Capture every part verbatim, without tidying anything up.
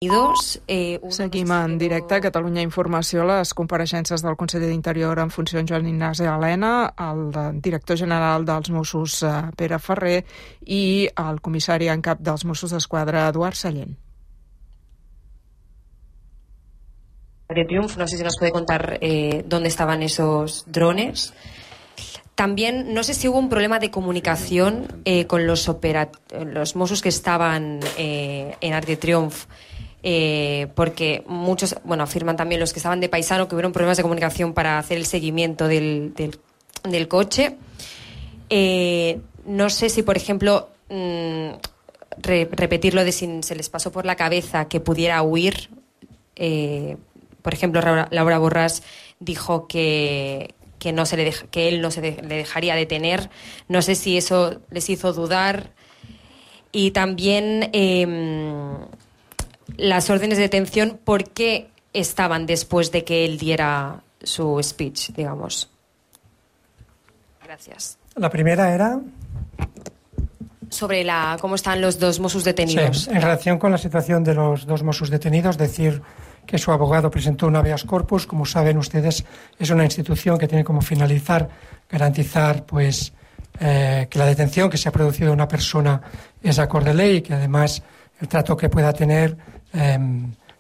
Seguim en directe a Catalunya Informació les compareixences del conseller d'Interior en funcions Joan Ignasi Elena, el director general dels Mossos Pere Ferrer i el comissari en cap dels Mossos d'Esquadra Eduard Sallent. De Triunf, no sé si nos puede contar eh, dónde estaban esos drones. También, no sé si hubo un problema de comunicación eh, con los, operat- los Mossos que estaban eh, en Arc de Triunf. Eh, porque muchos, bueno, afirman también los que estaban de paisano que hubieron problemas de comunicación para hacer el seguimiento del, del, del coche. Eh, no sé si, por ejemplo, mmm, re, repetirlo de si se les pasó por la cabeza que pudiera huir. Eh, por ejemplo, Laura, Laura Borràs dijo que, que, no se le deja, que él no se de, le dejaría detener. No sé si eso les hizo dudar. Y también... Eh, las órdenes de detención, ¿por qué estaban después de que él diera su speech, digamos? Gracias. La primera era... Sobre la cómo están los dos Mossos detenidos. Sí, en relación con la situación de los dos Mossos detenidos, decir que su abogado presentó un habeas corpus. Como saben ustedes, es una institución que tiene como finalizar garantizar pues eh, que la detención que se ha producido de una persona es acorde a ley y que además el trato que pueda tener eh,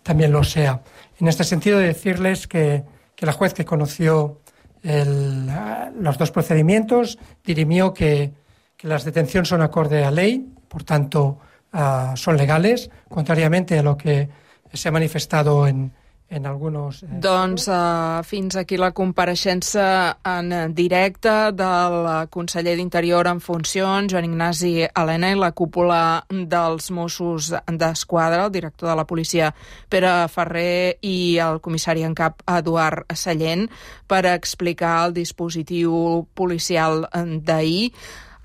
también lo sea. En este sentido, decirles que, que la juez que conoció el, los dos procedimientos dirimió que, que las detenciones son acorde a ley, por tanto uh, son legales, contrariamente a lo que se ha manifestado en, en algunos... Eh... Doncs uh, fins aquí la compareixença en directe del conseller d'Interior en funcions, Joan Ignasi Elena, i la cúpula dels Mossos d'Esquadra, el director de la policia Pere Ferrer i el comissari en cap Eduard Sallent, per explicar el dispositiu policial d'ahir.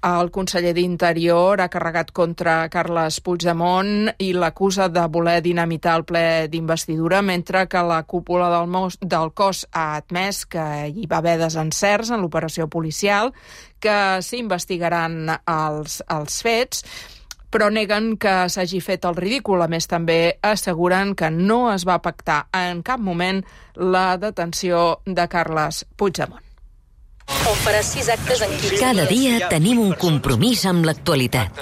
El conseller d'Interior ha carregat contra Carles Puigdemont i l'acusa de voler dinamitar el ple d'investidura, mentre que la cúpula del, Mos, del cos ha admès que hi va haver desencerts en l'operació policial, que s'investigaran els, els fets, però neguen que s'hagi fet el ridícul. A més, també asseguren que no es va pactar en cap moment la detenció de Carles Puigdemont. On farà sis actes en quinze Cada dia tenim un compromís amb l'actualitat.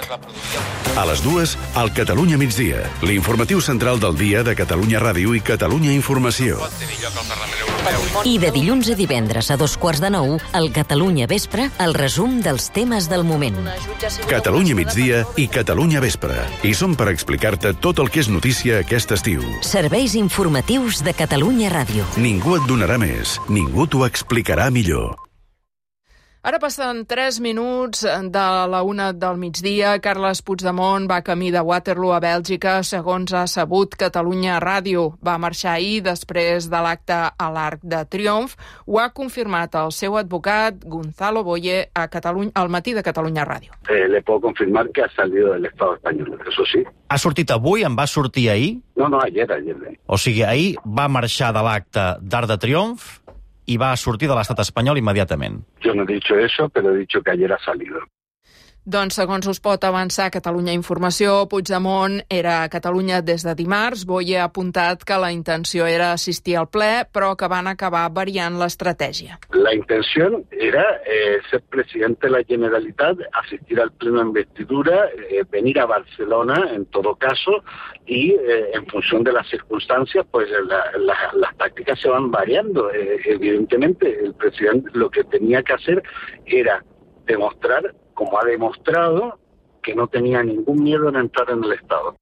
A les dues, al Catalunya migdia, l'informatiu central del dia de Catalunya Ràdio i Catalunya Informació. I de dilluns a divendres a dos quarts de nou, al Catalunya Vespre, el resum dels temes del moment. Catalunya migdia i Catalunya Vespre. I som per explicar-te tot el que és notícia aquest estiu. Serveis informatius de Catalunya Ràdio. Ningú et donarà més, ningú t'ho explicarà millor. Ara passen tres minuts de la una del migdia. Carles Puigdemont va camí de Waterloo a Bèlgica, segons ha sabut Catalunya Ràdio. Va marxar ahir després de l'acte a l'Arc de Triomf. Ho ha confirmat el seu advocat, Gonzalo Boye, a Catalunya, al matí de Catalunya Ràdio. Eh, le puedo confirmar que ha salido del Estado español, eso sí. Ha sortit avui? En va sortir ahir? No, no, ayer, ayer. O sigui, ahir va marxar de l'acte d'Arc de Triomf i va sortir de l'estat espanyol immediatament. Yo no he dicho eso, pero he dicho que ayer ha salido. Doncs, segons us pot avançar Catalunya Informació, Puigdemont era a Catalunya des de dimarts. Boye ha apuntat que la intenció era assistir al ple, però que van acabar variant l'estratègia. La intención era eh, ser presidente de la Generalitat, asistir al pleno de investidura, eh, venir a Barcelona en todo caso, y eh, en función de las circunstancias, pues la, la, las tácticas se van variando. Eh, evidentemente, el presidente lo que tenía que hacer era demostrar, como ha demostrado, que no tenía ningún miedo en entrar en el Estado.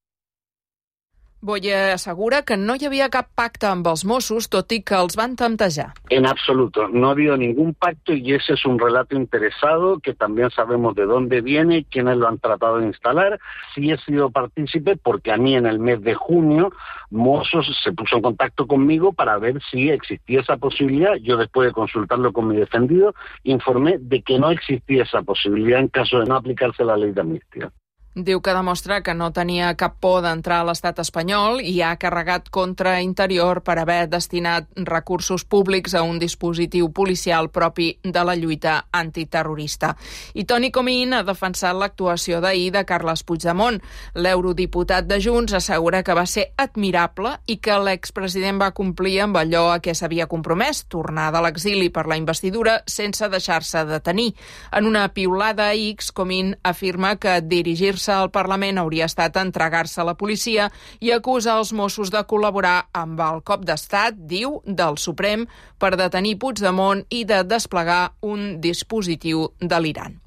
Boye assegura que no hi havia cap pacte amb els Mossos, tot i que els van temptejar. En absoluto, no ha habido ningún pacto y ese es un relato interesado que también sabemos de dónde viene, quiénes lo han tratado de instalar. Sí he sido partícipe porque a mí en el mes de junio Mossos se puso en contacto conmigo para ver si existía esa posibilidad. Yo, después de consultarlo con mi defendido, informé de que no existía esa posibilidad en caso de no aplicarse la ley de amnistía. Diu que demostra que no tenia cap por d'entrar a l'estat espanyol i ha carregat contra Interior per haver destinat recursos públics a un dispositiu policial propi de la lluita antiterrorista. I Toni Comín ha defensat l'actuació d'ahir de Carles Puigdemont. L'eurodiputat de Junts assegura que va ser admirable i que l'expresident va complir amb allò a què s'havia compromès, tornar de l'exili per la investidura sense deixar-se detenir. En una piulada a X, Comín afirma que dirigir-se al Parlament hauria estat entregar-se a la policia i acusa els Mossos de col·laborar amb el cop d'estat, diu, del Suprem per detenir Puigdemont i de desplegar un dispositiu delirant.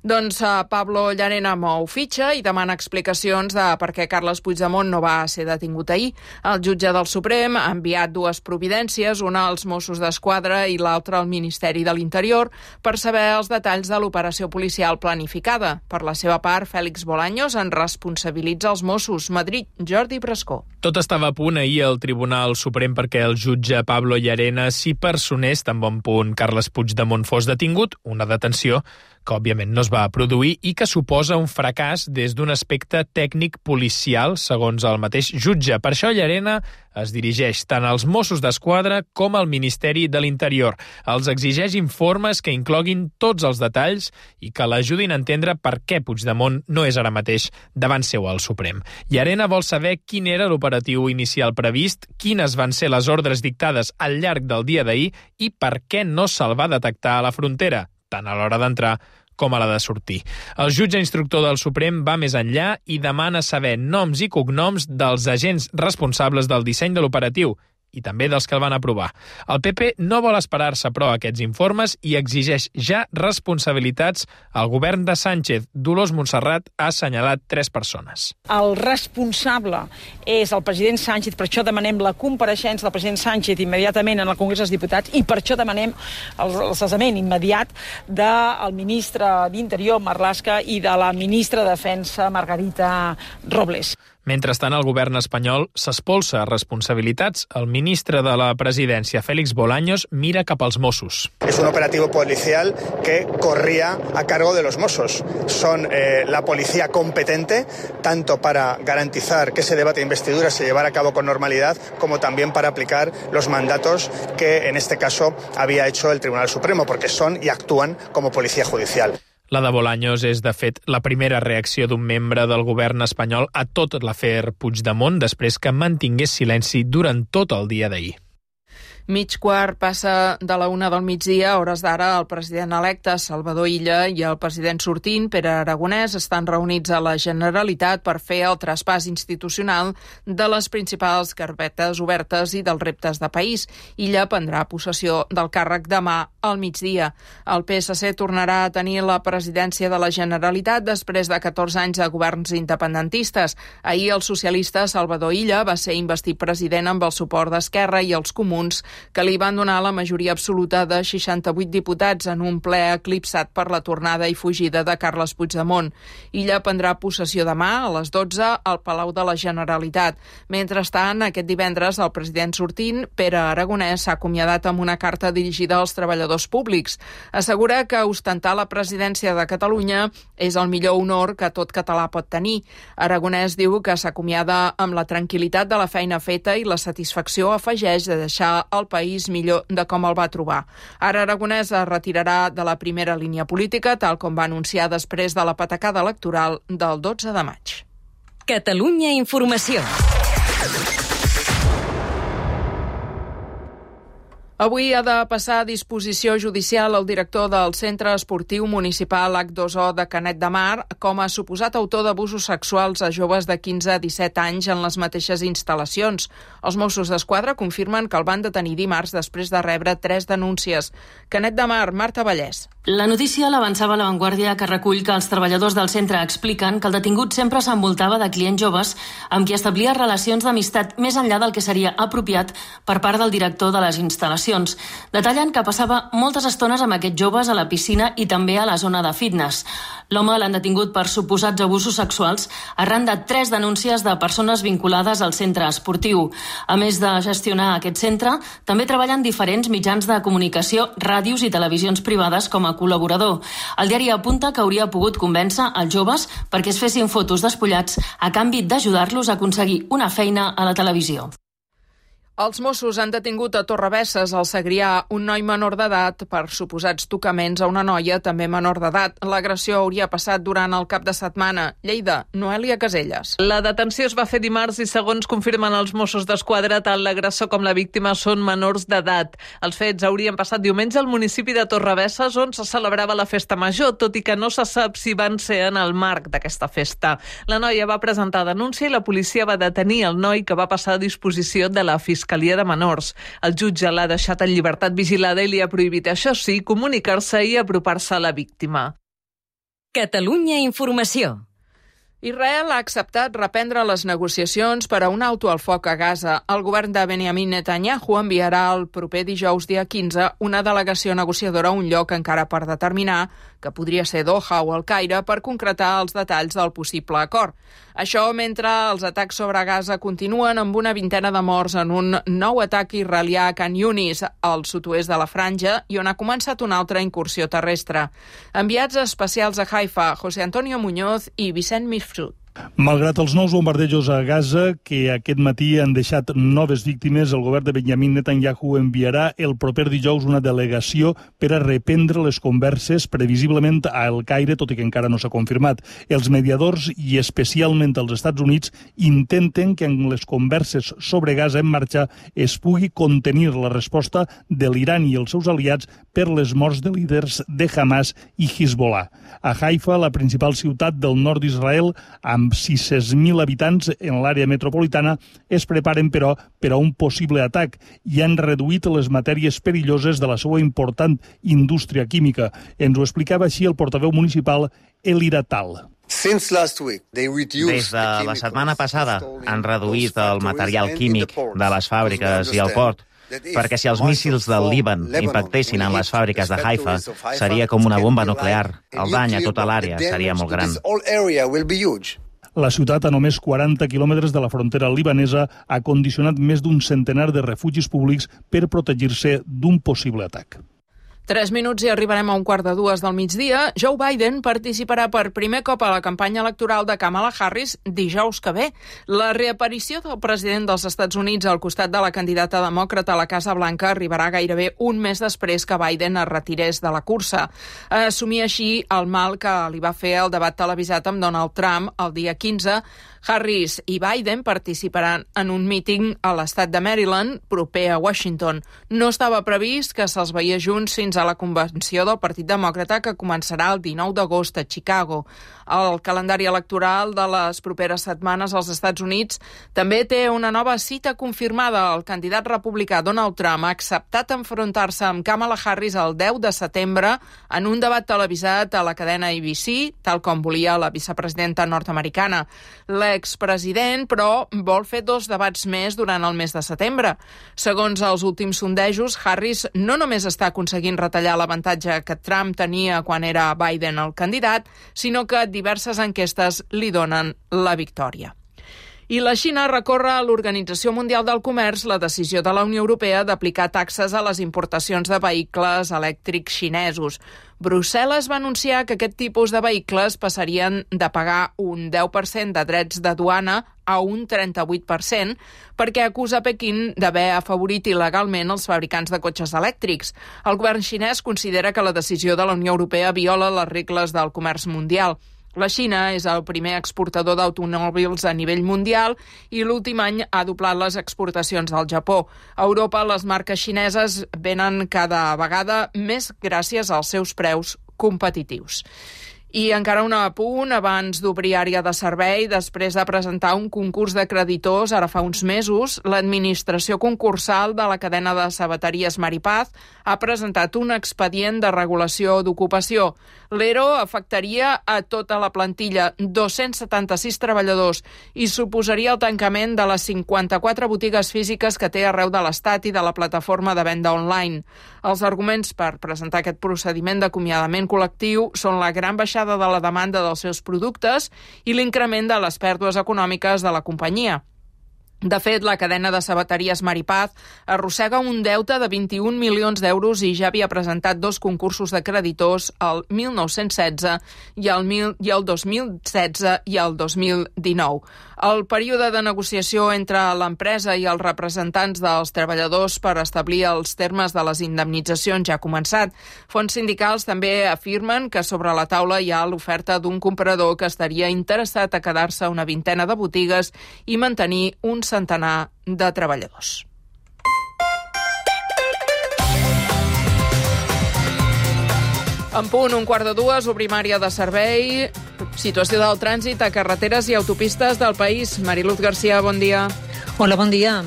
Doncs uh, Pablo Llarena mou fitxa i demana explicacions de per què Carles Puigdemont no va ser detingut ahir. El jutge del Suprem ha enviat dues providències, una als Mossos d'Esquadra i l'altra al Ministeri de l'Interior, per saber els detalls de l'operació policial planificada. Per la seva part, Félix Bolaños en responsabilitza els Mossos. Madrid, Jordi Brascó. Tot estava a punt ahir al Tribunal Suprem perquè el jutge Pablo Llarena s'hi personés tan bon punt Carles Puigdemont fos detingut, una detenció que òbviament no es va produir i que suposa un fracàs des d'un aspecte tècnic policial, segons el mateix jutge. Per això Llarena es dirigeix tant als Mossos d'Esquadra com al Ministeri de l'Interior. Els exigeix informes que incloguin tots els detalls i que l'ajudin a entendre per què Puigdemont no és ara mateix davant seu al Suprem. Llarena vol saber quin era l'operatiu inicial previst, quines van ser les ordres dictades al llarg del dia d'ahir i per què no se'l va detectar a la frontera, tant a l'hora d'entrar com a la de sortir. El jutge instructor del Suprem va més enllà i demana saber noms i cognoms dels agents responsables del disseny de l'operatiu i també dels que el van aprovar. El P P no vol esperar-se, però, a aquests informes i exigeix ja responsabilitats al govern de Sánchez. Dolors Montserrat ha assenyalat tres persones. El responsable és el president Sánchez, per això demanem la compareixença del president Sánchez immediatament en el Congrés dels Diputats i per això demanem el, el cessament immediat del ministre d'Interior, Marlaska, i de la ministra de Defensa, Margarita Robles. Mentrestant, el govern espanyol s'espolsa responsabilitats. El ministre de la Presidència, Félix Bolaños, mira cap als Mossos. Es un operativo policial que corría a cargo de los Mossos. Son eh, la policía competente, tanto para garantizar que ese debate de investidura se llevara a cabo con normalidad, como también para aplicar los mandatos que, en este caso, había hecho el Tribunal Supremo, porque son y actúan como policía judicial. La de Bolaños és, de fet, la primera reacció d'un membre del govern espanyol a tot l'afer Puigdemont després que mantingués silenci durant tot el dia d'ahir. Mig quart passa de la una del migdia, a hores d'ara, el president electe Salvador Illa i el president sortint, Pere Aragonès, estan reunits a la Generalitat per fer el traspàs institucional de les principals carpetes obertes i dels reptes de país. Illa prendrà possessió del càrrec demà al migdia. El P S C tornarà a tenir la presidència de la Generalitat després de catorze anys de governs independentistes. Ahir el socialista Salvador Illa va ser investit president amb el suport d'Esquerra i els Comuns, que li van donar la majoria absoluta de seixanta-vuit diputats en un ple eclipsat per la tornada i fugida de Carles Puigdemont. Illa prendrà possessió demà a les dotze al Palau de la Generalitat. Mentrestant, aquest divendres, el president sortint, Pere Aragonès, s'ha acomiadat amb una carta dirigida als treballadors públics. Assegura que ostentar la presidència de Catalunya és el millor honor que tot català pot tenir. Aragonès diu que s'acomiada amb la tranquil·litat de la feina feta i la satisfacció, afegeix, de deixar el país millor de com el va trobar. Ara Aragonès es retirarà de la primera línia política, tal com va anunciar després de la patacada electoral del dotze de maig. Catalunya Informació. Avui ha de passar a disposició judicial el director del Centre Esportiu Municipal H dos O de Canet de Mar com a suposat autor d'abusos sexuals a joves de quinze a disset anys en les mateixes instal·lacions. Els Mossos d'Esquadra confirmen que el van detenir dimarts després de rebre tres denúncies. Canet de Mar, Marta Vallès. La notícia l'avançava a La Vanguardia, que recull que els treballadors del centre expliquen que el detingut sempre s'envoltava de clients joves amb qui establia relacions d'amistat més enllà del que seria apropiat per part del director de les instal·lacions. declaracions. Detallen que passava moltes estones amb aquests joves a la piscina i també a la zona de fitness. L'home l'han detingut per suposats abusos sexuals arran de tres denúncies de persones vinculades al centre esportiu. A més de gestionar aquest centre, també treballen diferents mitjans de comunicació, ràdios i televisions privades com a col·laborador. El diari apunta que hauria pogut convèncer els joves perquè es fessin fotos despullats a canvi d'ajudar-los a aconseguir una feina a la televisió. Els Mossos han detingut a Torrebesses, al Segrià, un noi menor d'edat per suposats tocaments a una noia també menor d'edat. L'agressió hauria passat durant el cap de setmana. Lleida, Noèlia Caselles. La detenció es va fer dimarts i, segons confirmen els Mossos d'Esquadra, tant l'agressor com la víctima són menors d'edat. Els fets haurien passat diumenge al municipi de Torrebesses, on se celebrava la festa major, tot i que no se sap si van ser en el marc d'aquesta festa. La noia va presentar denúncia i la policia va detenir el noi, que va passar a disposició de la Fiscalia de Menors. El jutge l'ha deixat en llibertat vigilada i li ha prohibit, això sí, comunicar-se i apropar-se a la víctima. Catalunya Informació. Israel ha acceptat reprendre les negociacions per a un alto al foc a Gaza. El govern de Benjamin Netanyahu enviarà el proper dijous, dia quinze, una delegació negociadora a un lloc encara per determinar, que podria ser Doha o el Caire, per concretar els detalls del possible acord. Això mentre els atacs sobre Gaza continuen amb una vintena de morts en un nou atac israelià a Khan Yunis, al sud-oest de la Franja, i on ha començat una altra incursió terrestre. Enviats especials a Haifa, José Antonio Muñoz i Vicent Mifsud. Malgrat els nous bombardejos a Gaza, que aquest matí han deixat noves víctimes, el govern de Benjamin Netanyahu enviarà el proper dijous una delegació per a reprendre les converses, previsiblement a El Caire, tot i que encara no s'ha confirmat. Els mediadors, i especialment els Estats Units, intenten que en les converses sobre Gaza en marxa es pugui contenir la resposta de l'Iran i els seus aliats per les morts de líders de Hamas i Hezbollah. A Haifa, la principal ciutat del nord d'Israel, amb sis-cents mil habitants en l'àrea metropolitana, es preparen, però, per a un possible atac i han reduït les matèries perilloses de la seva important indústria química. Ens ho explicava així el portaveu municipal Elira Tal. Des de la setmana passada han reduït el material químic de les fàbriques i el port, perquè si els míssils del Líban impactessin en les fàbriques de Haifa, seria com una bomba nuclear. El dany a tota l'àrea seria molt gran. La ciutat, a només quaranta quilòmetres de la frontera libanesa, ha condicionat més d'un centenar de refugis públics per protegir-se d'un possible atac. Tres minuts i arribarem a un quart de dues del migdia. Joe Biden participarà per primer cop a la campanya electoral de Kamala Harris dijous que ve. La reaparició del president dels Estats Units al costat de la candidata demòcrata a la Casa Blanca arribarà gairebé un mes després que Biden es retirés de la cursa. Assumir així el mal que li va fer el debat televisat amb Donald Trump el dia quinze. Harris i Biden participaran en un míting a l'estat de Maryland, proper a Washington. No estava previst que se'ls veiés junts fins a la convenció del Partit Demòcrata, que començarà el dinou d'agost a Chicago. El calendari electoral de les properes setmanes als Estats Units també té una nova cita confirmada. El candidat republicà Donald Trump ha acceptat enfrontar-se amb Kamala Harris el deu de setembre en un debat televisat a la cadena A B C, tal com volia la vicepresidenta nord-americana. L'expresident, però, vol fer dos debats més durant el mes de setembre. Segons els últims sondejos, Harris no només està aconseguint retallar l'avantatge que Trump tenia quan era Biden el candidat, sinó que diverses enquestes li donen la victòria. I la Xina recorre a l'Organització Mundial del Comerç la decisió de la Unió Europea d'aplicar taxes a les importacions de vehicles elèctrics xinesos. Brussel·les va anunciar que aquest tipus de vehicles passarien de pagar un deu per cent de drets de duana a un trenta-vuit per cent perquè acusa Pequín d'haver afavorit il·legalment els fabricants de cotxes elèctrics. El govern xinès considera que la decisió de la Unió Europea viola les regles del comerç mundial. La Xina és el primer exportador d'automòbils a nivell mundial i l'últim any ha doblat les exportacions del Japó. A Europa, les marques xineses venen cada vegada més gràcies als seus preus competitius. I encara un apunt, abans d'obrir àrea de servei, després de presentar un concurs de creditors, ara fa uns mesos, l'administració concursal de la cadena de sabateries Maripaz ha presentat un expedient de regulació d'ocupació. L'E R O afectaria a tota la plantilla, dos-cents setanta-sis treballadors, i suposaria el tancament de les cinquanta-quatre botigues físiques que té arreu de l'Estat i de la plataforma de venda online. Els arguments per presentar aquest procediment d'acomiadament col·lectiu són la gran baixada de la demanda dels seus productes i l'increment de les pèrdues econòmiques de la companyia. De fet, la cadena de sabateries Maripaz arrossega un deute de vint-i-un milions d'euros i ja havia presentat dos concursos de creditors el mil nou-cents setze i el, mil, i el dos mil setze i el dos mil dinou. El període de negociació entre l'empresa i els representants dels treballadors per establir els termes de les indemnitzacions ja ha començat. Fonts sindicals també afirmen que sobre la taula hi ha l'oferta d'un comprador que estaria interessat a quedar-se una vintena de botigues i mantenir un centenar de treballadors. En punt, un quart de dues, obrim àrea de servei. Situació del trànsit a carreteres i autopistes del país. Mariluz García, bon dia. Hola, bon dia.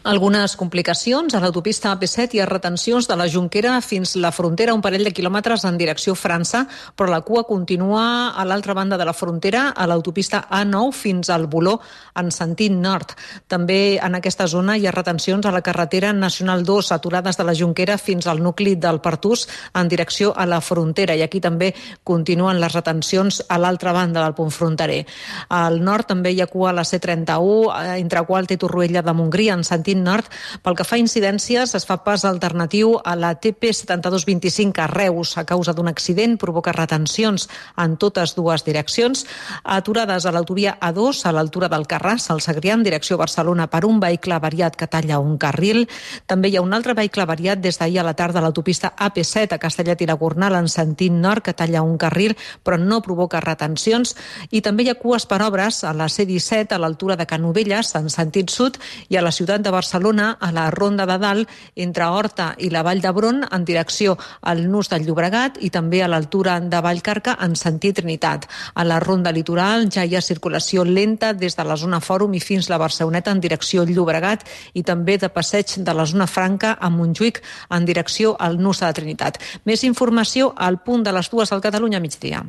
Algunes complicacions a l'autopista A P set i a retencions de la Jonquera fins la frontera, un parell de quilòmetres en direcció França, però la cua continua a l'altra banda de la frontera, a l'autopista A nou fins al Boló, en sentit nord. També en aquesta zona hi ha retencions a la carretera Nacional dos, aturades de la Jonquera fins al nucli del Pertús en direcció a la frontera, i aquí també continuen les retencions a l'altra banda del punt fronterer. Al nord també hi ha cua a la C trenta-u, entre Gualta i Torroella de Montgrí, en sentit nord. Pel que fa a incidències, es fa pas alternatiu a la T P setanta-dos vint-i-cinc a Reus a causa d'un accident, provoca retencions en totes dues direccions, aturades a l'autovia A dos a l'altura del Carràs, al Segrià, en direcció Barcelona, per un vehicle avariat que talla un carril. També hi ha un altre vehicle avariat des d'ahir a la tarda a l'autopista A P set a Castellet i la Gornal, en sentit nord, que talla un carril, però no provoca retencions. I també hi ha cues per obres a la C disset a l'altura de Canovelles, en sentit sud, i a la ciutat de Barcelona, Barcelona, a la Ronda de Dalt, entre Horta i la Vall d'Hebron, en direcció al Nus del Llobregat, i també a l'altura de Vallcarca, en sentit Trinitat. A la Ronda Litoral ja hi ha circulació lenta des de la zona Fòrum i fins la Barceloneta en direcció Llobregat, i també de passeig de la zona Franca a Montjuïc en direcció al Nus de la Trinitat. Més informació al punt de les dues al Catalunya migdia.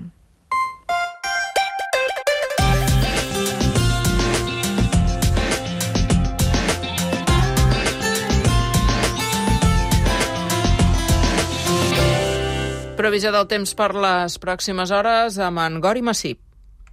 Previsió del temps per les pròximes hores amb en Gori Massip.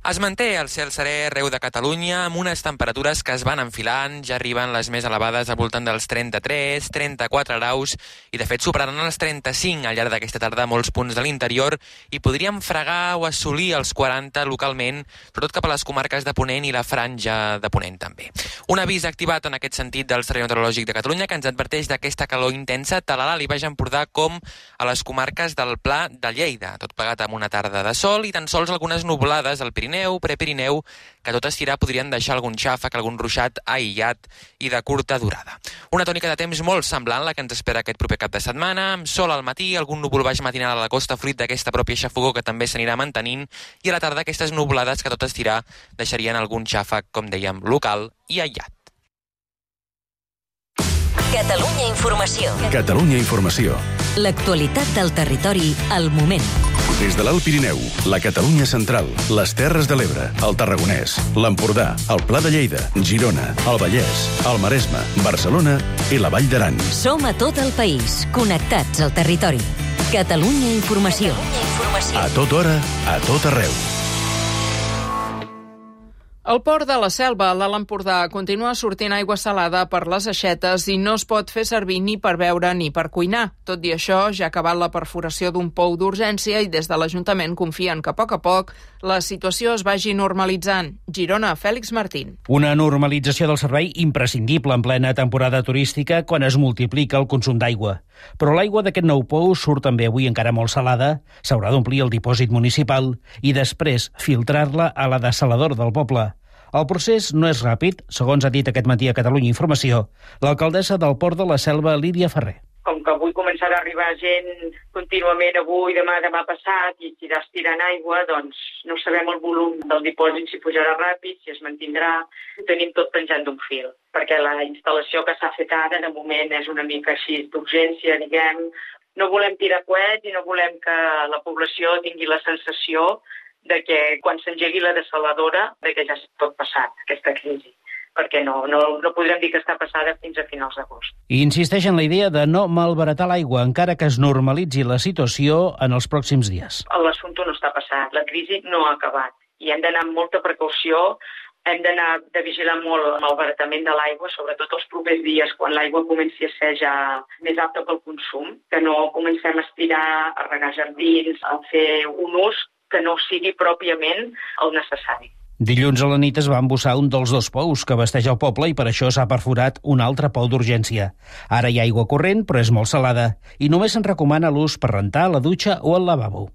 Es manté el cel serè arreu de Catalunya amb unes temperatures que es van enfilant, ja arriben les més elevades al voltant dels trenta-tres, trenta-quatre graus i de fet superaran els trenta-cinc al llarg d'aquesta tarda a molts punts de l'interior i podríem fregar o assolir els quaranta localment, sobretot cap a les comarques de Ponent i la Franja de Ponent també. Un avís activat en aquest sentit del Servei Meteorològic de Catalunya que ens adverteix d'aquesta calor intensa tant a l'Alt i Baix Empordà com a les comarques del Pla de Lleida, tot plegat amb una tarda de sol i tan sols algunes nuvolades al Pirineu, Prepirineu, que tot estirar podrien deixar algun xàfec, algun ruixat aïllat i de curta durada. Una tònica de temps molt semblant la que ens espera aquest proper cap de setmana, amb sol al matí, algun núvol baix matinal a la costa fruit d'aquesta pròpia xafogor que també s'anirà mantenint, i a la tarda aquestes nuvolades que tot estirar deixarien algun xàfec, com dèiem, local i aïllat. Catalunya Informació. Catalunya Informació. L'actualitat del territori al moment. Des de l'Alt Pirineu, la Catalunya Central, les Terres de l'Ebre, el Tarragonès, l'Empordà, el Pla de Lleida, Girona, el Vallès, el Maresme, Barcelona i la Vall d'Aran. Som a tot el país, connectats al territori. Catalunya Informació. Catalunya Informació. A tota hora, a tot arreu. El port de la Selva, a l'Alt Empordà, continua sortint aigua salada per les aixetes i no es pot fer servir ni per beure ni per cuinar. Tot i això, ja ha acabat la perforació d'un pou d'urgència i des de l'Ajuntament confien que a poc a poc la situació es vagi normalitzant. Girona, Fèlix Martín. Una normalització del servei imprescindible en plena temporada turística quan es multiplica el consum d'aigua. Però l'aigua d'aquest nou pou surt també avui encara molt salada, s'haurà d'omplir el dipòsit municipal i després filtrar-la a la dessaladora del poble. El procés no és ràpid, segons ha dit aquest matí a Catalunya Informació l'alcaldessa del Port de la Selva, Lídia Ferrer. com que avui començarà a arribar gent contínuament avui, demà, demà passat, i tiraràs tirant aigua, doncs no sabem el volum del dipòsit, si pujarà ràpid, si es mantindrà. Ho tenim tot penjant d'un fil, perquè la instal·lació que s'ha fet ara, de moment, és una mica així d'urgència, diguem. No volem tirar coets i no volem que la població tingui la sensació de que quan s'engegui la dessaladora, de que ja s'ha tot passat, aquesta crisi. Perquè no, no, no podrem dir que està passada fins a finals d'agost. I insisteix en la idea de no malbaratar l'aigua, encara que es normalitzi la situació en els pròxims dies. L'assumpte no està passat, la crisi no ha acabat. I hem d'anar amb molta precaució, hem d'anar de vigilar molt el malbaratament de l'aigua, sobretot els propers dies, quan l'aigua comenci a ser ja més apta pel consum, que no comencem a estirar, a regar jardins, a fer un ús que no sigui pròpiament el necessari. Dilluns a la nit es va embussar un dels dos pous que abasteix el poble i per això s'ha perforat un altre pou d'urgència. Ara hi ha aigua corrent, però és molt salada, i només se'n recomana l'ús per rentar la dutxa o el lavabo.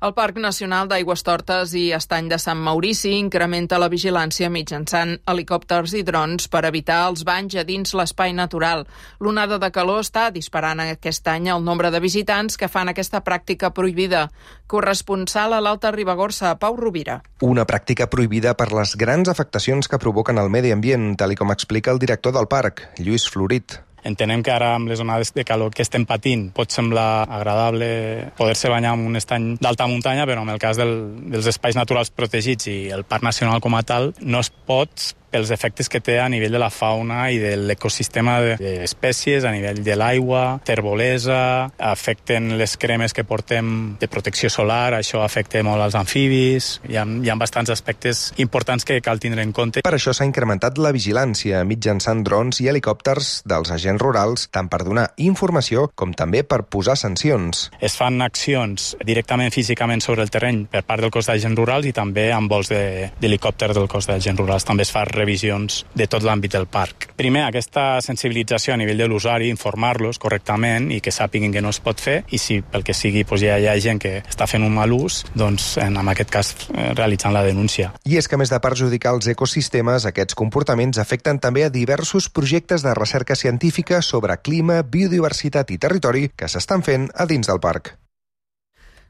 El Parc Nacional d'Aigüestortes i Estany de Sant Maurici incrementa la vigilància mitjançant helicòpters i drons per evitar els banys a dins l'espai natural. L'onada de calor està disparant aquest any el nombre de visitants que fan aquesta pràctica prohibida. Corresponsal a l'Alta Ribagorça, Pau Rovira. Una pràctica prohibida per les grans afectacions que provoquen al medi ambient, tal com explica el director del parc, Lluís Florit. Entenem que ara amb les onades de calor que estem patint pot semblar agradable poder-se banyar en un estany d'alta muntanya, però en el cas del, dels espais naturals protegits i el Parc Nacional com a tal no es pot pels efectes que té a nivell de la fauna i de l'ecosistema d'espècies, a nivell de l'aigua, terbolesa, afecten les cremes que portem de protecció solar, això afecta molt als amfibis, hi ha, hi ha bastants aspectes importants que cal tindre en compte. Per això s'ha incrementat la vigilància mitjançant drons i helicòpters dels agents rurals, tant per donar informació com també per posar sancions. Es fan accions directament físicament sobre el terreny per part del cos d'agents rurals i també amb vols d'helicòpter del cos d'agents rurals. També es fa revisions de tot l'àmbit del parc. Primer, aquesta sensibilització a nivell de l'usuari, informar-los correctament i que sàpiguen que no es pot fer, i si pel que sigui doncs, ja hi ha gent que està fent un mal ús, doncs en aquest cas realitzant la denúncia. I és que a més de perjudicar els ecosistemes, aquests comportaments afecten també a diversos projectes de recerca científica sobre clima, biodiversitat i territori que s'estan fent a dins del parc.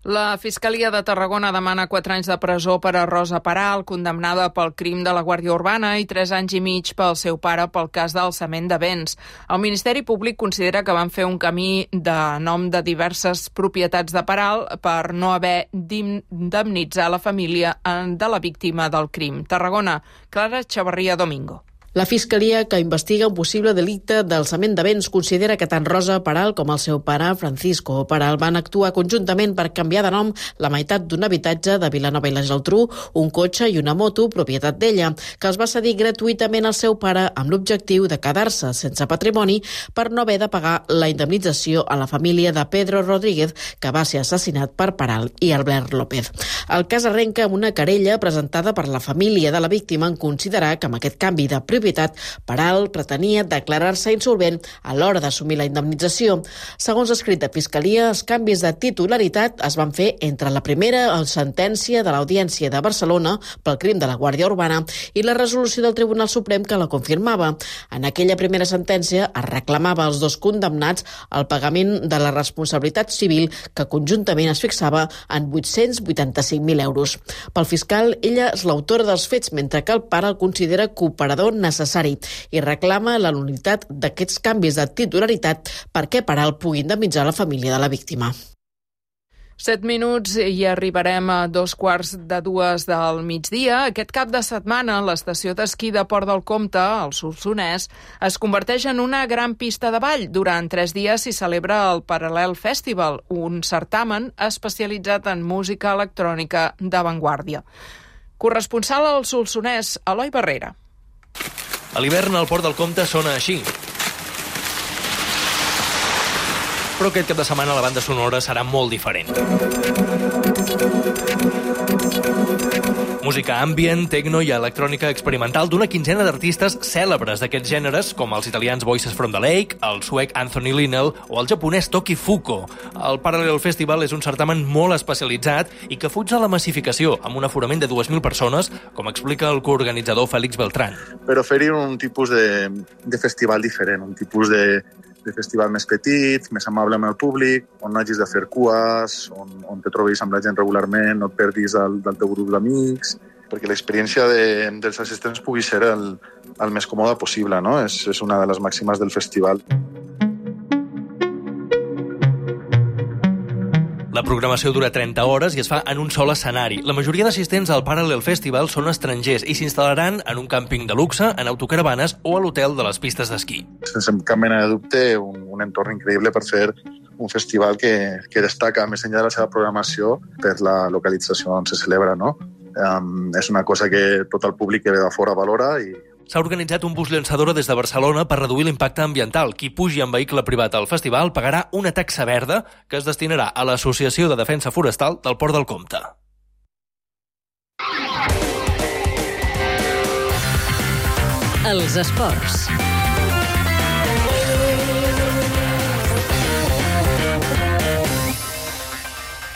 La Fiscalia de Tarragona demana quatre anys de presó per a Rosa Peral, condemnada pel crim de la Guàrdia Urbana, i tres anys i mig pel seu pare pel cas d'alçament de béns. El Ministeri Públic considera que van fer un camí de nom de diverses propietats de Peral per no haver d'indemnitzar la família de la víctima del crim. Tarragona, Clara Chavarría Domingo. La Fiscalia, que investiga un possible delicte d'alçament de béns, considera que tant Rosa Peral com el seu pare, Francisco Peral, van actuar conjuntament per canviar de nom la meitat d'un habitatge de Vilanova i la Geltrú, un cotxe i una moto, propietat d'ella, que els va cedir gratuïtament al seu pare amb l'objectiu de quedar-se sense patrimoni per no haver de pagar la indemnització a la família de Pedro Rodríguez, que va ser assassinat per Peral i Albert López. El cas arrenca amb una querella presentada per la família de la víctima en considerar que amb aquest canvi de propietat Peral pretenia declarar-se insolvent a l'hora d'assumir la indemnització. Segons l'escrit de Fiscalia, els canvis de titularitat es van fer entre la primera sentència de l'Audiència de Barcelona pel crim de la Guàrdia Urbana i la resolució del Tribunal Suprem que la confirmava. En aquella primera sentència es reclamava als dos condemnats el pagament de la responsabilitat civil que conjuntament es fixava en vuit-cents vuitanta-cinc mil euros. Pel fiscal, ella és l'autora dels fets, mentre que el pare el considera cooperador necessari i reclama la nul·litat d'aquests canvis de titularitat perquè Peral pugui indemnitzar la família de la víctima. Set minuts i arribarem a dos quarts de dues del migdia. Aquest cap de setmana, l'estació d'esquí de Port del Comte, al Solsonès, es converteix en una gran pista de ball. Durant tres dies s'hi celebra el Paral·lel Festival, un certamen especialitzat en música electrònica d'avantguàrdia. Corresponsal al Solsonès, Eloi Barrera. A l'hivern el Port del Comte sona així. Però aquest cap de setmana la banda sonora serà molt diferent. Música ambient, techno i electrònica experimental d'una quinzena d'artistes cèlebres d'aquests gèneres, com els italians Voices from the Lake, el suec Anthony Linnell o el japonès Toki Fuko. El Parallel Festival és un certamen molt especialitzat i que fuig de la massificació, amb un aforament de dues mil persones, com explica el coorganitzador Félix Beltrán. Per oferir un tipus de, de festival diferent, un tipus de, de festival més petit, més amable amb el públic, on no hagis de fer cues, on, on te trobis amb la gent regularment, no et perdis del, del teu grup d'amics, perquè l'experiència de, dels assistents pugui ser el, el més còmode possible, no? És, és una de les màximes del festival. La programació dura trenta hores i es fa en un sol escenari. La majoria d'assistents al Parallel Festival són estrangers i s'instal·laran en un càmping de luxe, en autocaravanes o a l'hotel de les pistes d'esquí. Sense cap mena de dubte, un, un entorn increïble per fer un festival que, que destaca, més enllà de la seva programació, per la localització on se celebra, no? Um, és una cosa que tot el públic que ve de fora valora i s'ha organitzat un bus llançadora des de Barcelona per reduir l'impacte ambiental. Qui pugi en vehicle privat al festival pagarà una taxa verda que es destinarà a l'Associació de Defensa Forestal del Port del Comte. Els esports.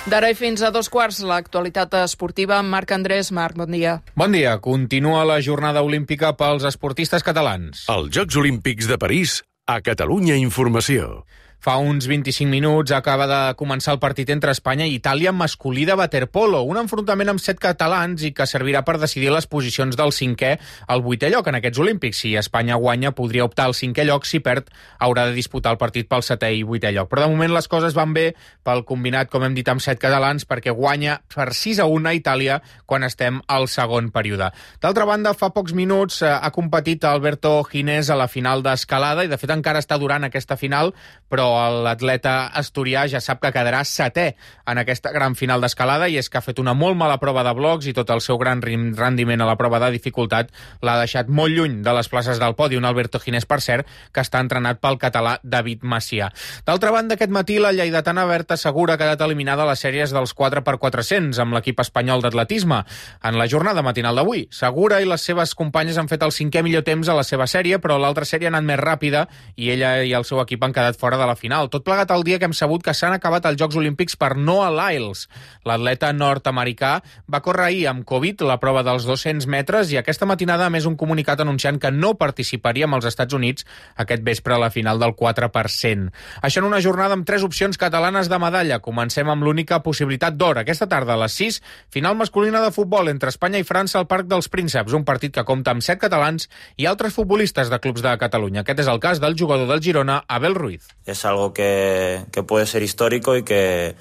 D'ara i fins a dos quarts, l'actualitat esportiva amb Marc Andrés. Marc, bon dia. Bon dia. Continua la jornada olímpica pels esportistes catalans. Els Jocs Olímpics de París, a Catalunya Informació. Fa uns vint-i-cinc minuts acaba de començar el partit entre Espanya i Itàlia masculí de waterpolo, un enfrontament amb set catalans i que servirà per decidir les posicions del cinquè al vuitè lloc en aquests Olímpics. Si Espanya guanya, podria optar al cinquè lloc. Si perd, haurà de disputar el partit pel setè i vuitè lloc. Però de moment les coses van bé pel combinat, com hem dit, amb set catalans, perquè guanya per sis a un a Itàlia quan estem al segon període. D'altra banda, fa pocs minuts eh, ha competit Alberto Ginés a la final d'escalada i de fet encara està durant aquesta final, però l'atleta asturià ja sap que quedarà setè en aquesta gran final d'escalada i és que ha fet una molt mala prova de blocs i tot el seu gran rendiment a la prova de dificultat l'ha deixat molt lluny de les places del podi. Un Alberto Ginés, per cert, que està entrenat pel català David Macià. D'altra banda, aquest matí la lleidatana Berta Segura ha quedat eliminada a les sèries dels quatre per quatre-cents amb l'equip espanyol d'atletisme en la jornada matinal d'avui. Segura i les seves companyes han fet el cinquè millor temps a la seva sèrie, però l'altra sèrie ha anat més ràpida i ella i el seu equip han quedat fora de la final. Tot plegat el dia que hem sabut que s'han acabat els Jocs Olímpics per Noah Lyles. L'atleta nord-americà va córrer ahir amb Covid la prova dels dos-cents metres i aquesta matinada a més un comunicat anunciant que no participaria amb els Estats Units aquest vespre a la final del quatre per cent. Això en una jornada amb tres opcions catalanes de medalla. Comencem amb l'única possibilitat d'or. Aquesta tarda a les sis, final masculina de futbol entre Espanya i França al Parc dels Prínceps, un partit que compta amb set catalans i altres futbolistes de clubs de Catalunya. Aquest és el cas del jugador del Girona, Abel Ruiz. Es algo que, que puede ser histórico y que,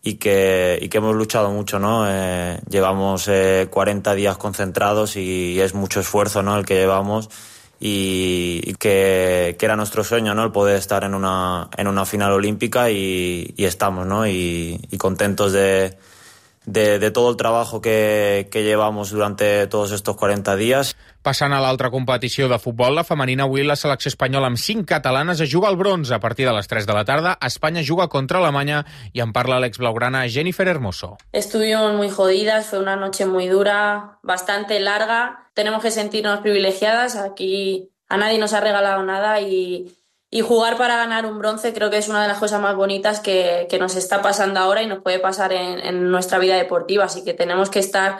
y que, y que hemos luchado mucho, ¿no? Eh, llevamos eh, cuarenta días concentrados y es mucho esfuerzo, ¿no? El que llevamos y, y que, que era nuestro sueño, ¿no? El poder estar en una, en una final olímpica y, y estamos, ¿no? Y, y contentos de, de, de todo el trabajo que, que llevamos durante todos estos cuarenta días. Passant a l'altra competició de futbol, la femenina, avui la selecció espanyola amb cinc catalanes es juga al bronze. A partir de les tres de la tarda, Espanya juga contra Alemanya i en parla l'ex-blaugrana Jennifer Hermoso. Estuvimos muy jodidas, fue una noche muy dura, bastante larga. Tenemos que sentirnos privilegiadas. Aquí a nadie nos ha regalado nada y, y jugar para ganar un bronce creo que es una de las cosas más bonitas que, que nos está pasando ahora y nos puede pasar en, en nuestra vida deportiva. Así que tenemos que estar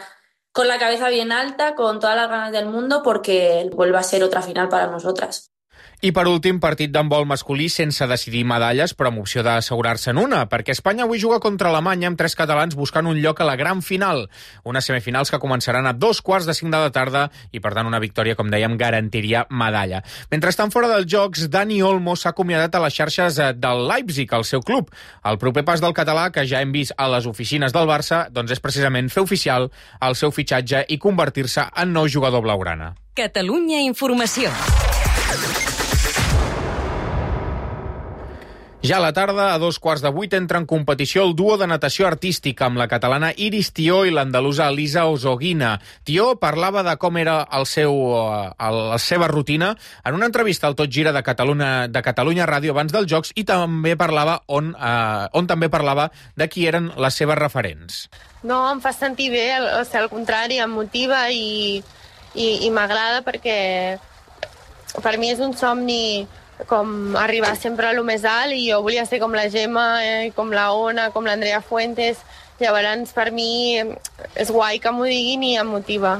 con la cabeza bien alta, con todas las ganas del mundo, porque vuelve a ser otra final para nosotras. I per últim, partit d'handbol masculí sense decidir medalles, però amb opció d'assegurar-se'n una, perquè Espanya avui juga contra Alemanya amb tres catalans buscant un lloc a la gran final. Unes semifinals que començaran a dos quarts de cinc de la tarda i, per tant, una victòria, com dèiem, garantiria medalla. Mentrestant, fora dels Jocs, Dani Olmo s'ha acomiadat a les xarxes del Leipzig, el seu club. El proper pas del català, que ja hem vist a les oficines del Barça, doncs és precisament fer oficial el seu fitxatge i convertir-se en nou jugador blaugrana. Catalunya Informació. Ja a la tarda, a dos quarts de vuit, entra en competició el duo de natació artística amb la catalana Iris Tió i l'andalusa Elisa Osoguina. Tió parlava de com era el seu, el, la seva rutina en una entrevista al Tot Gira de Catalunya, de Catalunya Ràdio abans dels Jocs i també parlava on, eh, on també parlava de qui eren les seves referents. No, em fa sentir bé, o sigui, al contrari, em motiva i, i, i m'agrada perquè per mi és un somni com arribar sempre a lo més alt i jo volia ser com la Gemma, eh, com la Ona, com l'Andrea Fuentes. Llavors per mi és guai que m'ho diguin i em motiva.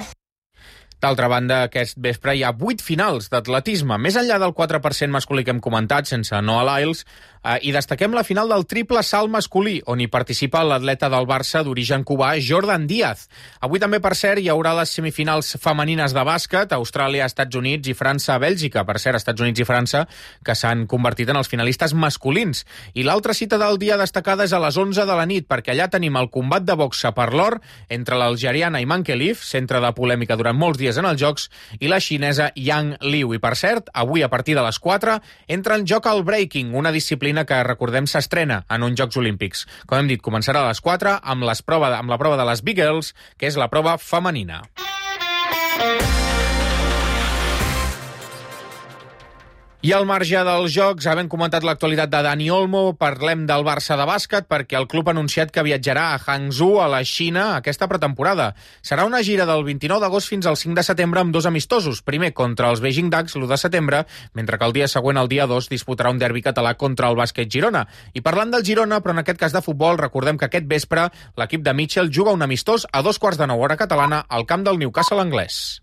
D'altra banda, aquest vespre hi ha vuit finals d'atletisme, més enllà del quatre per cent masculí que hem comentat, sense Noah Lyles, eh, i destaquem la final del triple salt masculí, on hi participa l'atleta del Barça d'origen cubà, Jordan Díaz. Avui també, per cert, hi haurà les semifinals femenines de bàsquet, Austràlia, Estats Units i França, Bèlgica. Per cert, Estats Units i França, que s'han convertit en els finalistes masculins. I l'altra cita del dia destacada és a les onze de la nit, perquè allà tenim el combat de boxa per l'or entre l'algeriana Iman Khelif, centre de polèmica durant molts dies en els Jocs, i la xinesa Yang Liu. I, per cert, avui a partir de les quatre entra en joc el breaking, una disciplina que, recordem, s'estrena en uns Jocs Olímpics. Com hem dit, començarà a les quatre amb, les prova, amb la prova de les Big Girls, que és la prova femenina. I al marge dels Jocs, havent comentat l'actualitat de Dani Olmo, parlem del Barça de bàsquet perquè el club ha anunciat que viatjarà a Hangzhou, a la Xina, aquesta pretemporada. Serà una gira del vint-i-nou d'agost fins al cinc de setembre amb dos amistosos. Primer contra els Beijing Ducks, l'u de setembre, mentre que el dia següent, el dia dos, disputarà un derbi català contra el Bàsquet Girona. I parlant del Girona, però en aquest cas de futbol, recordem que aquest vespre l'equip de Mitchell juga un amistós a dos quarts de nou hora catalana al camp del Newcastle anglès.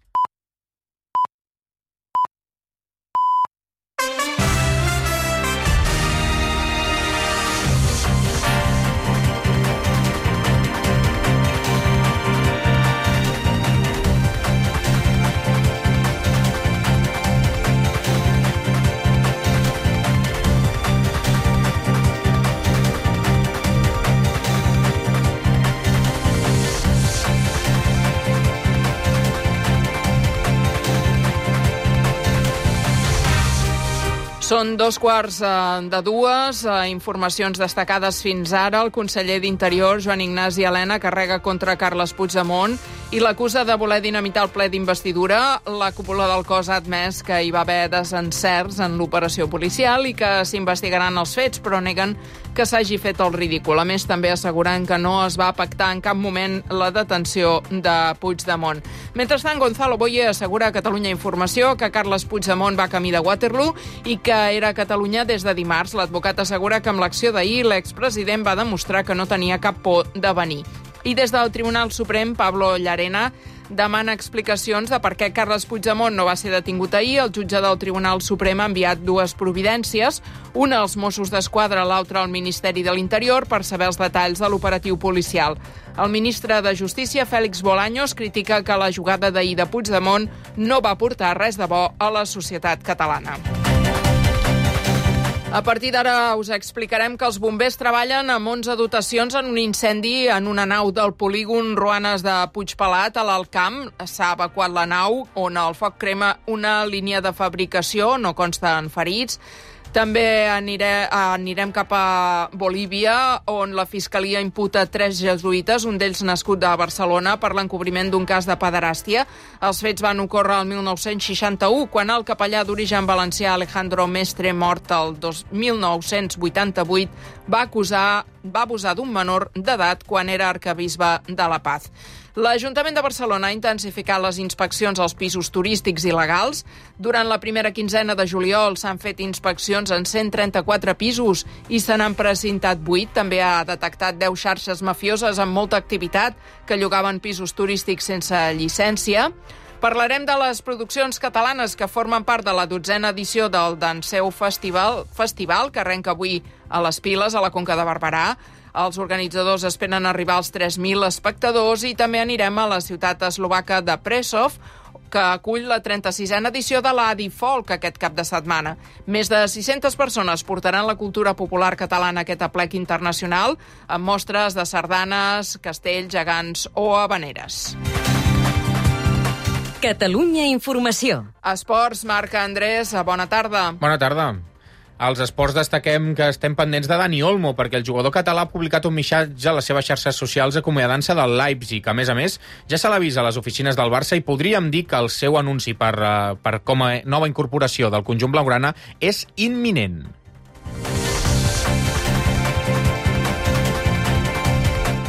Són dos quarts de dues. Informacions destacades fins ara. El conseller d'Interior, Joan Ignasi Elena, carrega contra Carles Puigdemont i l'acusa de voler dinamitar el ple d'investidura. La cúpula del cos ha admès que hi va haver desencerts en l'operació policial i que s'investigaran els fets, però neguen que s'hagi fet el ridícul. A més, també asseguren que no es va pactar en cap moment la detenció de Puigdemont. Mentrestant, Gonzalo Boye assegura a Catalunya Informació que Carles Puigdemont va camí de Waterloo i que era a Catalunya des de dimarts. L'advocat assegura que amb l'acció d'ahir l'expresident va demostrar que no tenia cap por de venir. I des del Tribunal Suprem, Pablo Llarena demana explicacions de per què Carles Puigdemont no va ser detingut ahir. El jutge del Tribunal Suprem ha enviat dues providències, una als Mossos d'Esquadra, l'altra al Ministeri de l'Interior, per saber els detalls de l'operatiu policial. El ministre de Justícia, Félix Bolaños, critica que la jugada d'ahir de Puigdemont no va portar res de bo a la societat catalana. A partir d'ara us explicarem que els bombers treballen amb onze dotacions en un incendi en una nau del polígon Roanes de Puigpelat, a l'Alt Camp. S'ha evacuat la nau, on el foc crema una línia de fabricació, no consten ferits. També aniré, anirem cap a Bolívia, on la Fiscalia imputa tres jesuïtes, un d'ells nascut de Barcelona, per l'encobriment d'un cas de pederàstia. Els fets van ocórrer el mil nou-cents seixanta-u, quan el capellà d'origen valencià Alejandro Mestre, mort el mil nou-cents vuitanta-vuit, va acusar, va abusar d'un menor d'edat quan era arquebisbe de La Paz. L'Ajuntament de Barcelona ha intensificat les inspeccions als pisos turístics il·legals. Durant la primera quinzena de juliol s'han fet inspeccions en cent trenta-quatre pisos i se n'han precintat vuit. També ha detectat deu xarxes mafioses amb molta activitat que llogaven pisos turístics sense llicència. Parlarem de les produccions catalanes que formen part de la dotzena edició del Danseu Festival, festival que arrenca avui a les Piles, a la Conca de Barberà. Els organitzadors esperen arribar als tres mil espectadors i també anirem a la ciutat eslovaca de Prešov, que acull la trenta-sisena edició de l'Adi Folk aquest cap de setmana. Més de sis-centes persones portaran la cultura popular catalana a aquest aplec internacional, amb mostres de sardanes, castells, gegants o habaneres. Catalunya Informació. Esports, Marc Andrés, bona tarda. Bona tarda. Als esports destaquem que estem pendents de Dani Olmo, perquè el jugador català ha publicat un missatge a les seves xarxes socials acomiadant-se del Leipzig. A més a més, ja se l'avisa a les oficines del Barça i podríem dir que el seu anunci per, per com a nova incorporació del conjunt blaugrana és imminent.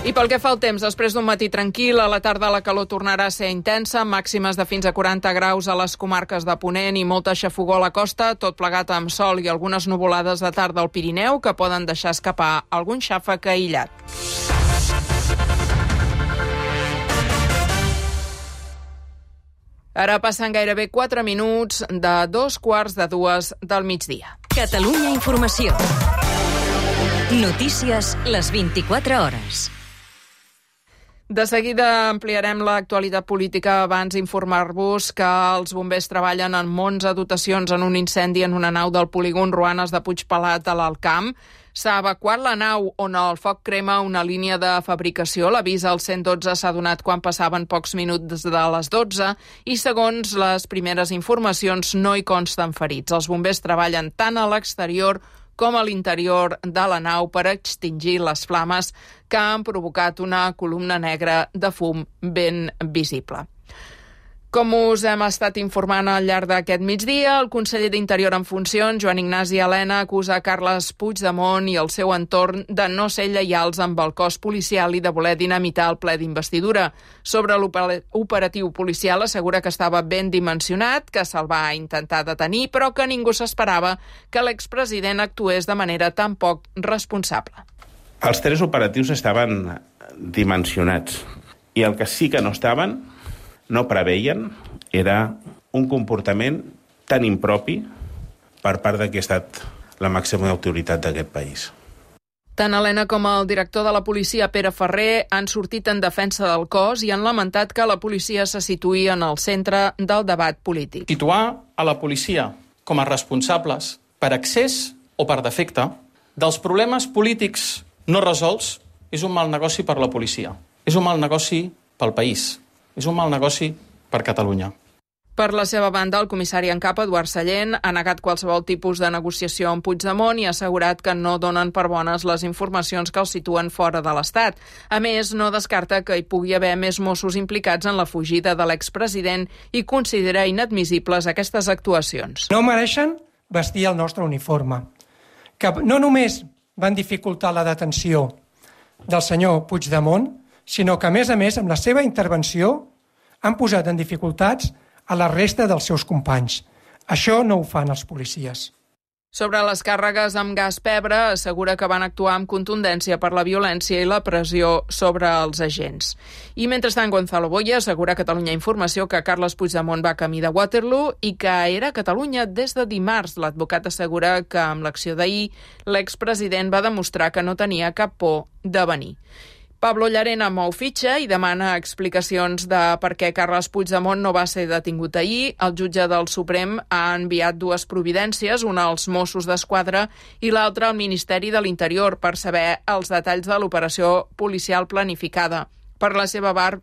I pel que fa al temps, després d'un matí tranquil, a la tarda la calor tornarà a ser intensa, màximes de fins a quaranta graus a les comarques de Ponent i molta xafogor a la costa, tot plegat amb sol i algunes nuvolades de tarda al Pirineu que poden deixar escapar algun xàfec aïllat. Ara passen gairebé quatre minuts de dos quarts de dues del migdia. Catalunya Informació. Notícies les vint-i-quatre hores. De seguida ampliarem l'actualitat política. Abans informar-vos que els bombers treballen amb onze dotacions en un incendi en una nau del polígon Ruanes de Puigpelat a l'Alt Camp. S'ha evacuat la nau on el foc crema una línia de fabricació. L'avís al cent dotze s'ha donat quan passaven pocs minuts de les dotze i, segons les primeres informacions, no hi consten ferits. Els bombers treballen tant a l'exterior com a l'interior de la nau per extingir les flames que han provocat una columna negra de fum ben visible. Com us hem estat informant al llarg d'aquest migdia, el conseller d'Interior en funcions, Joan Ignasi Elena, acusa Carles Puigdemont i el seu entorn de no ser lleials amb el cos policial i de voler dinamitar el ple d'investidura. Sobre l'operatiu policial assegura que estava ben dimensionat, que se'l va intentar detenir, però que ningú s'esperava que l'expresident actués de manera tan poc responsable. Els tres operatius estaven dimensionats i el que sí que no estaven no preveien era un comportament tan impropi per part de qui ha estat la màxima autoritat d'aquest país. Tant Elena com el director de la policia, Pere Ferrer, han sortit en defensa del cos i han lamentat que la policia se situï en el centre del debat polític. Situar a la policia com a responsables per excés o per defecte dels problemes polítics no resolts és un mal negoci per la policia. És un mal negoci pel país. És un mal negoci per Catalunya. Per la seva banda, el comissari en cap, Eduard Sallent, ha negat qualsevol tipus de negociació amb Puigdemont i ha assegurat que no donen per bones les informacions que els situen fora de l'Estat. A més, no descarta que hi pugui haver més Mossos implicats en la fugida de l'expresident i considera inadmissibles aquestes actuacions. No mereixen vestir el nostre uniforme, que no només van dificultar la detenció del senyor Puigdemont, sinó que, a més a més, amb la seva intervenció han posat en dificultats a la resta dels seus companys. Això no ho fan els policies. Sobre les càrregues amb gas pebre, assegura que van actuar amb contundència per la violència i la pressió sobre els agents. I mentrestant, Gonzalo Boya assegura a Catalunya Informació que Carles Puigdemont va camí de Waterloo i que era a Catalunya des de dimarts. L'advocat assegura que amb l'acció d'ahir l'expresident va demostrar que no tenia cap por de venir. Pablo Llarena mou fitxa i demana explicacions de per què Carles Puigdemont no va ser detingut ahir. El jutge del Suprem ha enviat dues providències, una als Mossos d'Esquadra i l'altra al Ministeri de l'Interior per saber els detalls de l'operació policial planificada. Per la seva part,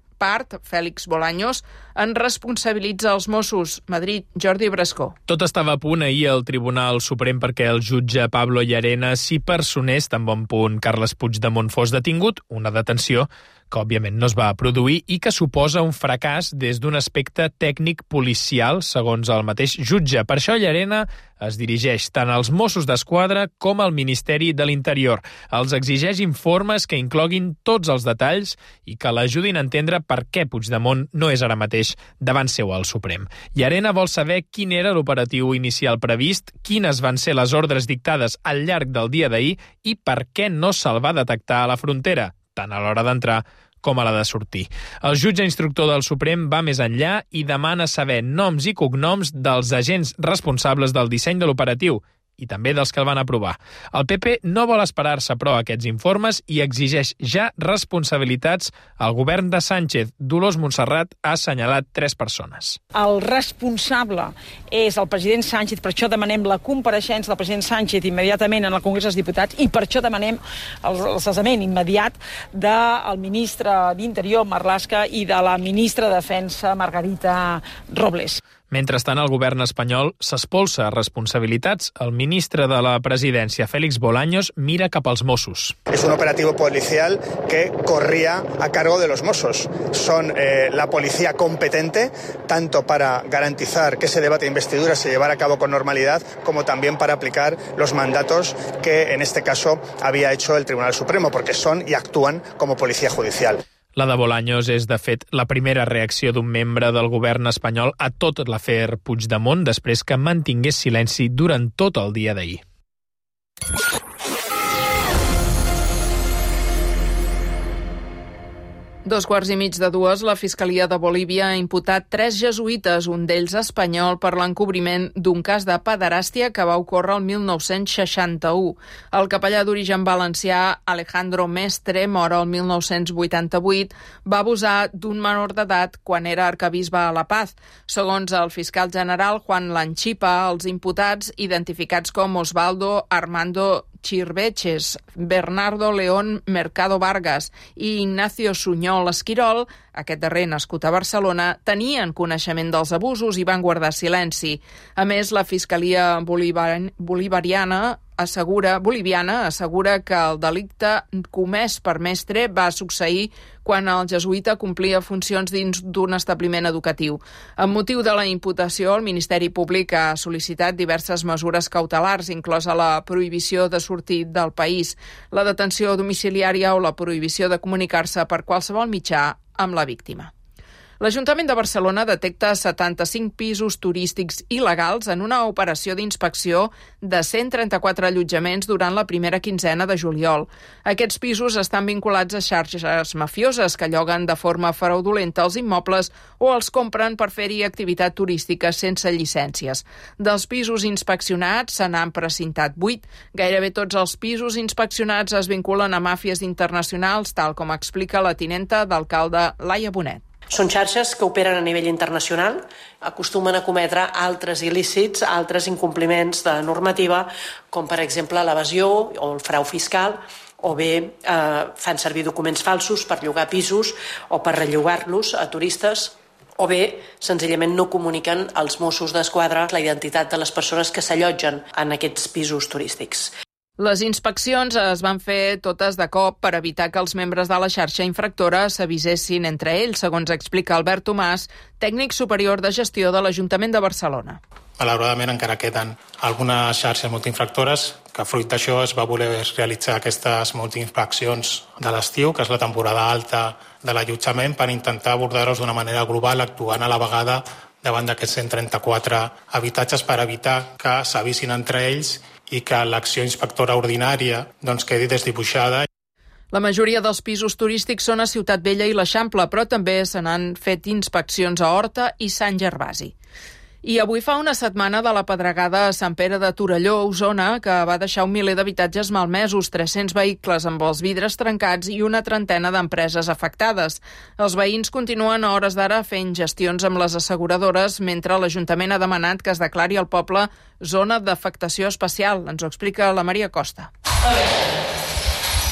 Félix Bolaños en responsabilitza els Mossos. Madrid, Jordi Brascó. Tot estava a punt ahir al Tribunal Suprem perquè el jutge Pablo Llarena s'hi personés tan bon punt Carles Puigdemont fos detingut, una detenció que òbviament no es va produir i que suposa un fracàs des d'un aspecte tècnic policial, segons el mateix jutge. Per això Llarena es dirigeix tant als Mossos d'Esquadra com al Ministeri de l'Interior. Els exigeix informes que incloguin tots els detalls i que l'ajudin a entendre per què Puigdemont no és ara mateix davant seu al Suprem. Llarena vol saber quin era l'operatiu inicial previst, quines van ser les ordres dictades al llarg del dia d'ahir i per què no se'l va detectar a la frontera, tant a l'hora d'entrar com a la de sortir. El jutge instructor del Suprem va més enllà i demana saber noms i cognoms dels agents responsables del disseny de l'operatiu i també dels que el van aprovar. El P P no vol esperar-se, però, aquests informes i exigeix ja responsabilitats al govern de Sánchez. Dolors Montserrat ha assenyalat tres persones. El responsable és el president Sánchez, per això demanem la compareixença del president Sánchez immediatament en el Congrés dels Diputats i per això demanem el cessament immediat del ministre d'Interior, Marlaska, i de la ministra de Defensa, Margarita Robles. Mentrestant, el govern espanyol s'espolsa responsabilitats. El ministre de la Presidència, Félix Bolaños, mira cap als Mossos. Es un operativo policial que corría a cargo de los Mossos. Son eh, la policía competente, tanto para garantizar que ese debate de investidura se llevara a cabo con normalidad, como también para aplicar los mandatos que, en este caso, había hecho el Tribunal Supremo, porque son y actúan como policía judicial. La de Bolaños és, de fet, la primera reacció d'un membre del govern espanyol a tot l'afer Puigdemont després que mantingués silenci durant tot el dia d'ahir. Dos quarts i mig de dues, la Fiscalia de Bolívia ha imputat tres jesuïtes, un d'ells espanyol, per l'encobriment d'un cas de pederàstia que va ocórrer el mil nou-cents seixanta-u. El capellà d'origen valencià, Alejandro Mestre, mort el mil nou-cents vuitanta-vuit, va abusar d'un menor d'edat quan era arquebisbe a La Paz. Segons el fiscal general Juan Lanchipa, els imputats, identificats com Osvaldo Armando Chirveches, Bernardo León Mercado Vargas i Ignacio Suñol Esquirol, aquest darrer nascut a Barcelona, tenien coneixement dels abusos i van guardar silenci. A més, la Fiscalia Bolivariana, Bolivariana assegura, boliviana assegura que el delicte comès per Mestre va succeir quan el jesuïta complia funcions dins d'un establiment educatiu. Amb motiu de la imputació, el Ministeri Públic ha sol·licitat diverses mesures cautelars, inclosa la prohibició de sortir del país, la detenció domiciliària o la prohibició de comunicar-se per qualsevol mitjà amb la víctima. L'Ajuntament de Barcelona detecta setanta-cinc pisos turístics il·legals en una operació d'inspecció de cent trenta-quatre allotjaments durant la primera quinzena de juliol. Aquests pisos estan vinculats a xarxes mafioses que lloguen de forma fraudulenta els immobles o els compren per fer-hi activitat turística sense llicències. Dels pisos inspeccionats se n'han precintat vuit. Gairebé tots els pisos inspeccionats es vinculen a màfies internacionals, tal com explica la tinenta d'alcalde Laia Bonet. Són xarxes que operen a nivell internacional, acostumen a cometre altres il·lícits, altres incompliments de normativa, com per exemple l'evasió o el frau fiscal, o bé eh, fan servir documents falsos per llogar pisos o per rellogar-los a turistes, o bé senzillament no comuniquen als Mossos d'Esquadra la identitat de les persones que s'allotgen en aquests pisos turístics. Les inspeccions es van fer totes de cop per evitar que els membres de la xarxa infractora s'avisessin entre ells, segons explica Albert Tomàs, tècnic superior de gestió de l'Ajuntament de Barcelona. Malauradament encara queden algunes xarxes multiinfractores que fruit d'això es va voler realitzar aquestes multiinspeccions de l'estiu, que és la temporada alta de l'allotjament, per intentar abordar-los d'una manera global, actuant a la vegada davant d'aquests cent trenta-quatre habitatges per evitar que s'avisin entre ells i que l'acció inspectora ordinària doncs, quedi desdibuixada. La majoria dels pisos turístics són a Ciutat Vella i l'Eixample, però també se n'han fet inspeccions a Horta i Sant Gervasi. I avui fa una setmana de la pedregada a Sant Pere de Torelló, Osona, que va deixar un miler d'habitatges malmesos, tres-cents vehicles amb els vidres trencats i una trentena d'empreses afectades. Els veïns continuen a hores d'ara fent gestions amb les asseguradores, mentre l'Ajuntament ha demanat que es declari al poble zona d'afectació especial. Ens ho explica la Maria Costa.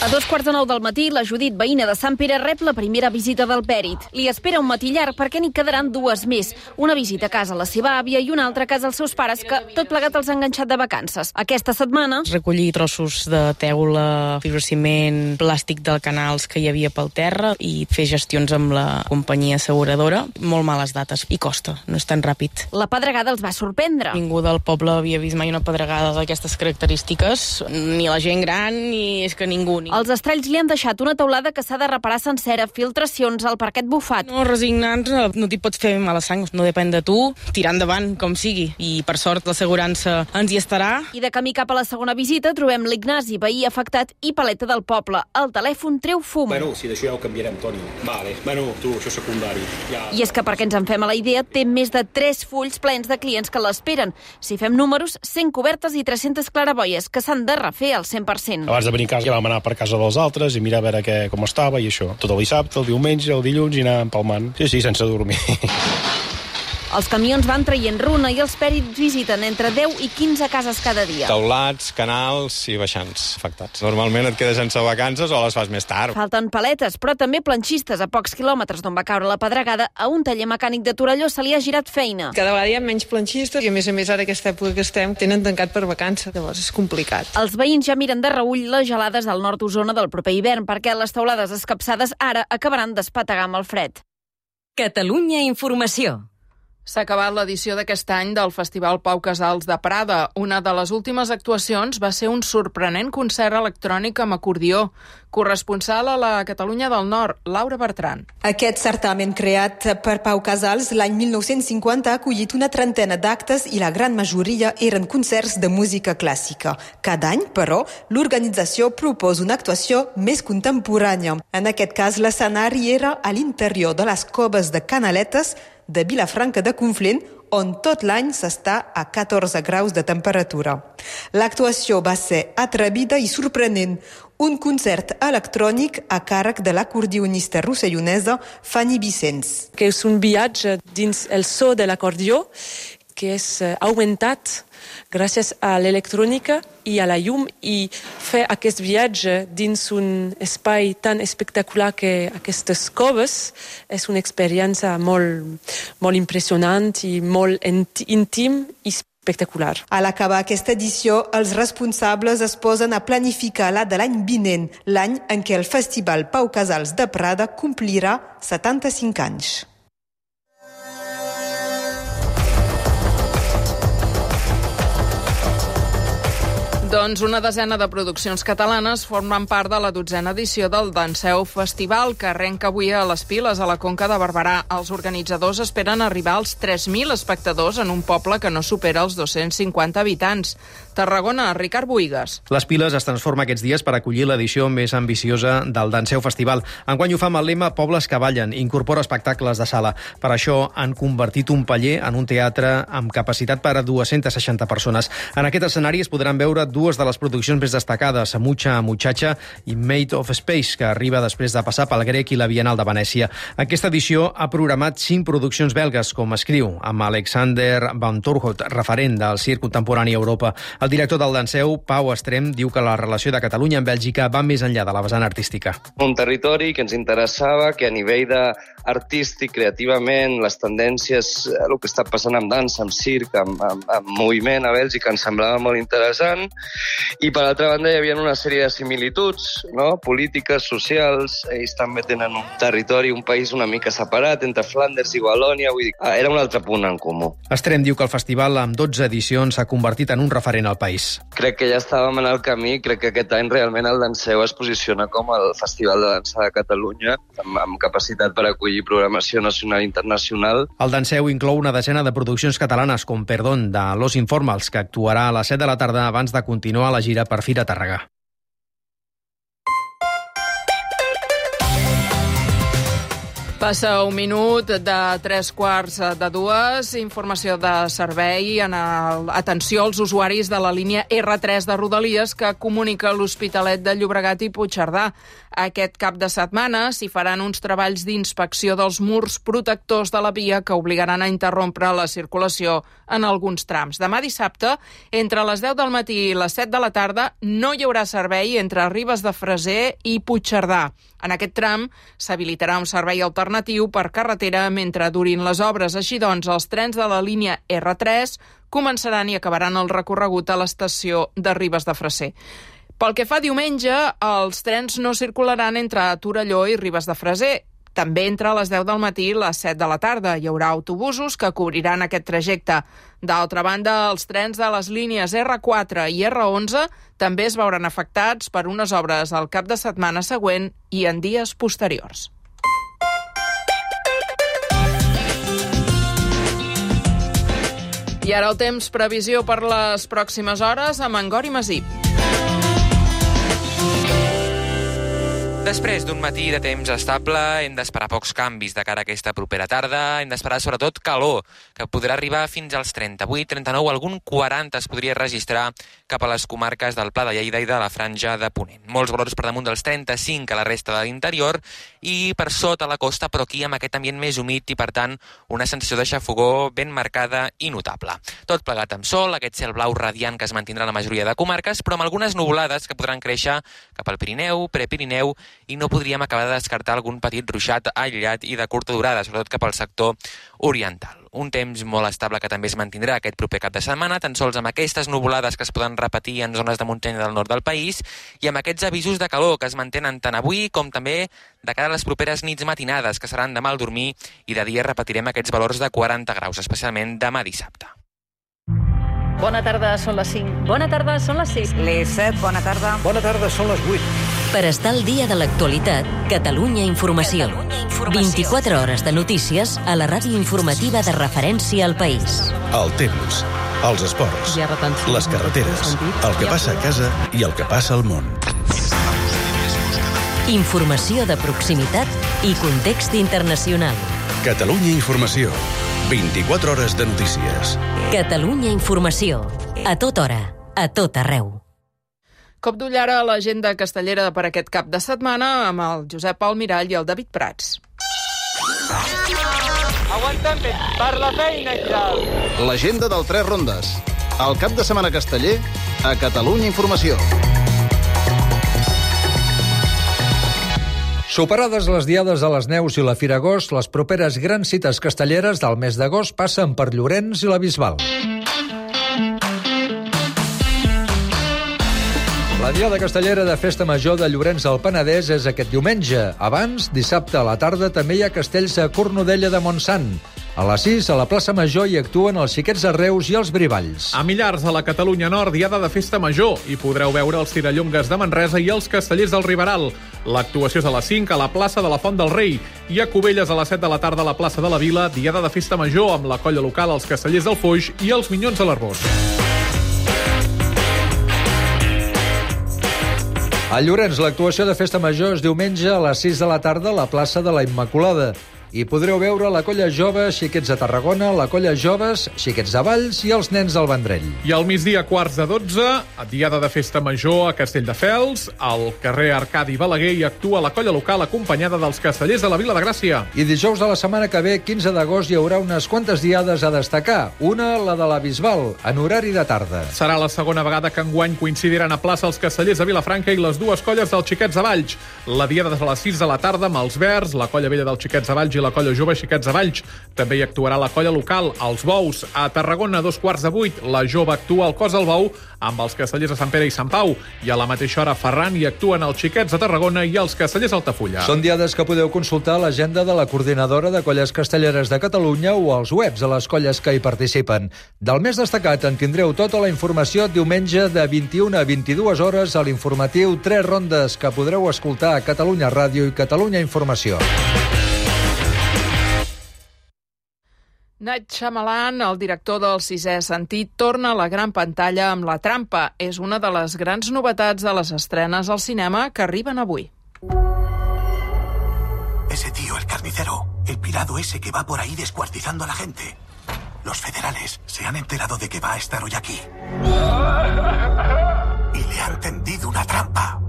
A dos quarts de nou del matí, la Judit, veïna de Sant Pere, rep la primera visita del pèrit. Li espera un matí llarg perquè n'hi quedaran dues més. Una visita a casa a la seva àvia i una altra a casa als seus pares, que tot plegat els ha enganxat de vacances. Aquesta setmana... Recollir trossos de teula, fibrociment, plàstic del canals que hi havia pel terra i fer gestions amb la companyia asseguradora. Molt males dates i costa, no és tan ràpid. La pedregada els va sorprendre. Ningú del poble havia vist mai una pedregada d'aquestes característiques, ni la gent gran, ni és que ningú... Ni... Els estralls li han deixat una teulada que s'ha de reparar sencera, filtracions, al parquet bufat. No, resignant-nos, no t'hi pots fer mala sang, no depèn de tu, tirar endavant, com sigui. I per sort l'assegurança ens hi estarà. I de camí cap a la segona visita trobem l'Ignasi, veí afectat i paleta del poble. El telèfon treu fum. Bueno, si d'això ja ho canviarem, Toni. Vale, bueno, tu, això és secundari. Ja... I és que perquè ens en fem a la idea, té més de tres fulls plens de clients que l'esperen. Si fem números, cent cobertes i tres-centes claraboies que s'han de refer al cent per cent. Abans de venir a casa ja vam anar per casa dels altres i mirar a veure què, com estava i això. Tot el dissabte, el diumenge, el dilluns i anar empalmant. Sí, sí, sense dormir. Els camions van traient runa i els pèrits visiten entre deu i quinze cases cada dia. Taulats, canals i baixants afectats. Normalment et quedes sense vacances o les fas més tard. Falten paletes, però també planxistes. A pocs quilòmetres d'on va caure la pedregada, a un taller mecànic de Torelló se li ha girat feina. Cada vegada hi ha menys planxistes i, a més a més, ara aquesta època que estem, tenen tancat per vacances. Llavors és complicat. Els veïns ja miren de reüll les gelades del nord d'Osona del proper hivern, perquè les teulades escapçades ara acabaran d'espetegar amb el fred. Catalunya Informació. S'ha acabat l'edició d'aquest any del Festival Pau Casals de Prada. Una de les últimes actuacions va ser un sorprenent concert electrònic amb acordió. Corresponsal a la Catalunya del Nord, Laura Bertran. Aquest certamen creat per Pau Casals l'any mil nou-cents cinquanta ha acollit una trentena d'actes i la gran majoria eren concerts de música clàssica. Cada any, però, l'organització proposa una actuació més contemporània. En aquest cas, l'escenari era a l'interior de les coves de Canaletes de Vilafranca de Conflent, on tot l'any s'està a catorze graus de temperatura. L'actuació va ser atrevida i sorprenent. Un concert electrònic a càrrec de l'acordionista rossellonesa Fanny Vicens. Que és un viatge dins el so de l'acordió que és augmentat gràcies a l'electrònica i a la llum, i fer aquest viatge dins un espai tan espectacular que aquestes coves és una experiència molt, molt impressionant i molt íntim i espectacular. A l'acabar aquesta edició, els responsables es posen a planificar la de l'any vinent, l'any en què el Festival Pau Casals de Prada complirà setanta-cinc anys. Doncs una desena de produccions catalanes formen part de la dotzena edició del Danseu Festival, que arrenca avui a les Piles, a la Conca de Barberà. Els organitzadors esperen arribar als tres mil espectadors en un poble que no supera els dos-cents cinquanta habitants. Tarragona, Ricard Boïgues. Les Piles es transforma aquests dies per acollir l'edició més ambiciosa del Danseu Festival. Enguany ho fa amb el lema Pobles que ballen, incorpora espectacles de sala. Per això han convertit un paller en un teatre amb capacitat per a dues-centes seixanta persones. En aquest escenari es podran veure dues de les produccions més destacades, Mucha Muchacha i Made of Space, que arriba després de passar pel Grec i la Bienal de Venècia. Aquesta edició ha programat cinc produccions belgues, com escriu, amb Alexander Van Torhout, referent del circ contemporani a Europa. El director del Danseu, Pau Estrem, diu que la relació de Catalunya amb Bèlgica va més enllà de la vessant artística. Un territori que ens interessava, que a nivell de artístic, creativament, les tendències, el que està passant amb dansa, amb circ, amb, amb, amb moviment a Bèlgica, ens semblava molt interessant. I per altra banda hi havia una sèrie de similituds, no? Polítiques, socials. Ells també tenen un territori, un país una mica separat entre Flanders i Valònia. Vull dir, era un altre punt en comú. Estrem diu que el festival, amb dotze edicions, s'ha convertit en un referent al país. Crec que ja estàvem en el camí. Crec que aquest any realment el Danseu es posiciona com el Festival de Dansa de Catalunya, amb, amb capacitat per acollir programació nacional i internacional. El Danseu inclou una desena de produccions catalanes, com Perdón, de Los Informals, que actuarà a les set de la tarda abans de continuar la gira per Fira Tàrrega. Passa un minut de tres quarts de dues. Informació de servei en el... Atenció als usuaris de la línia erre tres de Rodalies que comunica l'Hospitalet de Llobregat i Puigcerdà. Aquest cap de setmana s'hi faran uns treballs d'inspecció dels murs protectors de la via que obligaran a interrompre la circulació en alguns trams. Demà dissabte, entre les deu del matí i les set de la tarda, no hi haurà servei entre Ribes de Freser i Puigcerdà. En aquest tram s'habilitarà un servei alternatiu per carretera mentre durin les obres. Així doncs, els trens de la línia erre tres començaran i acabaran el recorregut a l'estació de Ribes de Freser. Pel que fa a diumenge, els trens no circularan entre Torelló i Ribes de Freser. També entre les deu del matí i les set de la tarda. Hi haurà autobusos que cobriran aquest trajecte. D'altra banda, els trens de les línies erre quatre i erre onze també es veuran afectats per unes obres al cap de setmana següent i en dies posteriors. I ara el temps, previsió per les pròximes hores amb en Gori Masip. Després d'un matí de temps estable, hem d'esperar pocs canvis de cara a aquesta propera tarda. Hem d'esperar sobretot calor, que podrà arribar fins als trenta-vuit, trenta-nou, algun quaranta es podria registrar cap a les comarques del Pla de Lleida i de la Franja de Ponent. Molts valors per damunt dels trenta-cinc a la resta de l'interior i per sota la costa, però aquí amb aquest ambient més humit i, per tant, una sensació de xafogor ben marcada i notable. Tot plegat amb sol, aquest cel blau radiant que es mantindrà a la majoria de comarques, però amb algunes nuvolades que podran créixer cap al Pirineu, Prepirineu i no podríem acabar de descartar algun petit ruixat aïllat i de curta durada, sobretot cap al sector oriental. Un temps molt estable que també es mantindrà aquest proper cap de setmana, tan sols amb aquestes nuvolades que es poden repetir en zones de muntanya del nord del país i amb aquests avisos de calor que es mantenen tant avui com també de cara a les properes nits matinades, que seran de mal dormir, i de dia repetirem aquests valors de quaranta graus, especialment demà dissabte. Bona tarda, són les cinc. Bona tarda, són les sis. Les set, bona tarda. Bona tarda, són les vuit. Per estar al dia de l'actualitat, Catalunya Informació. vint-i-quatre hores de notícies a la ràdio informativa de referència al país. El temps, els esports, les carreteres, el que passa a casa i el que passa al món. Informació de proximitat i context internacional. Catalunya Informació. vint-i-quatre hores de notícies. Catalunya Informació. A tota hora, a tot arreu. Cop d'ull ara a l'agenda castellera per aquest cap de setmana amb el Josep Almirall i el David Prats. Aguantem per la feina, ja. L'agenda del Tres Rondes. El cap de setmana casteller a Catalunya Informació. Superades les diades de les neus i la Fira Agost, les properes grans cites castelleres del mes d'agost passen per Llorenç i la Bisbal. La diada castellera de Festa Major de Llorenç del Penedès és aquest diumenge. Abans, dissabte a la tarda, també hi ha castells a Cornudella de Montsant. A les sis, a la plaça Major, hi actuen els Xiquets de Reus i els Brivalls. A Millars, a la Catalunya Nord, diada de Festa Major. Hi podreu veure els Tirallongues de Manresa i els Castellers del Riberal. L'actuació és a les cinc a la plaça de la Font del Rei. I a Cubelles, a les set de la tarda, a la plaça de la Vila, diada de Festa Major amb la colla local, els Castellers del Foix i els Minyons de l'Arbós. A Llorenç, l'actuació de Festa Major és diumenge a les sis de la tarda a la plaça de la Immaculada. Hi podreu veure la colla jove Xiquets de Tarragona, la colla joves Xiquets de Valls i els nens del Vendrell. I al migdia, quarts de dotze, a diada de Festa Major a Castelldefels, al carrer Arcadi Balaguer hi actua la colla local acompanyada dels Castellers de la Vila de Gràcia. I dijous de la setmana que ve, quinze d'agost, hi haurà unes quantes diades a destacar. Una, la de la Bisbal, en horari de tarda. Serà la segona vegada que enguany coincidiran a plaça els Castellers de Vilafranca i les dues colles dels Xiquets de Valls. La diada de les sis de la tarda amb els Verds, la colla vella dels Xiquets de Valls i la colla jove Xiquets de Valls. També hi actuarà la colla local, els Bous. A Tarragona, a dos quarts de vuit, la jove actua al Cos del Bou amb els Castellers de Sant Pere i Sant Pau. I a la mateixa hora, a Ferran, hi actuen els Xiquets de Tarragona i els Castellers d'Altafulla. Són diades que podeu consultar a l'agenda de la Coordinadora de Colles Castelleres de Catalunya o als webs de les colles que hi participen. Del més destacat en tindreu tota la informació diumenge de vint-i-una a vint-i-dues hores a l'informatiu Tres Rondes, que podreu escoltar a Catalunya Ràdio i Catalunya Informació. Night Shyamalan, el director del Sisè Sentit, torna a la gran pantalla amb La Trampa. És una de les grans novetats de les estrenes al cinema que arriben avui. Ese tío, el carnicero, el pirado ese que va por ahí descuartizando a la gente. Los federales se han enterado de que va a estar hoy aquí. Y le han tendido una trampa.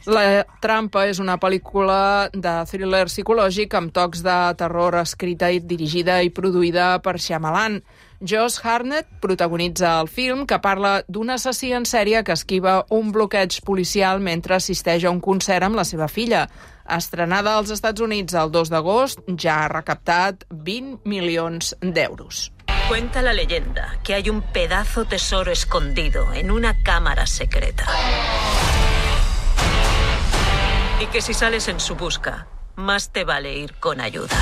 La Trampa és una pel·lícula de thriller psicològic amb tocs de terror escrita i dirigida i produïda per Shyamalan. Josh Hartnett protagonitza el film, que parla d'un assassí en sèrie que esquiva un bloqueig policial mentre assisteix a un concert amb la seva filla. Estrenada als Estats Units el dos d'agost, ja ha recaptat vint milions d'euros. Cuenta la leyenda que hay un pedazo tesoro escondido en una cámara secreta. Y que si sales en su busca, más te vale ir con ayuda.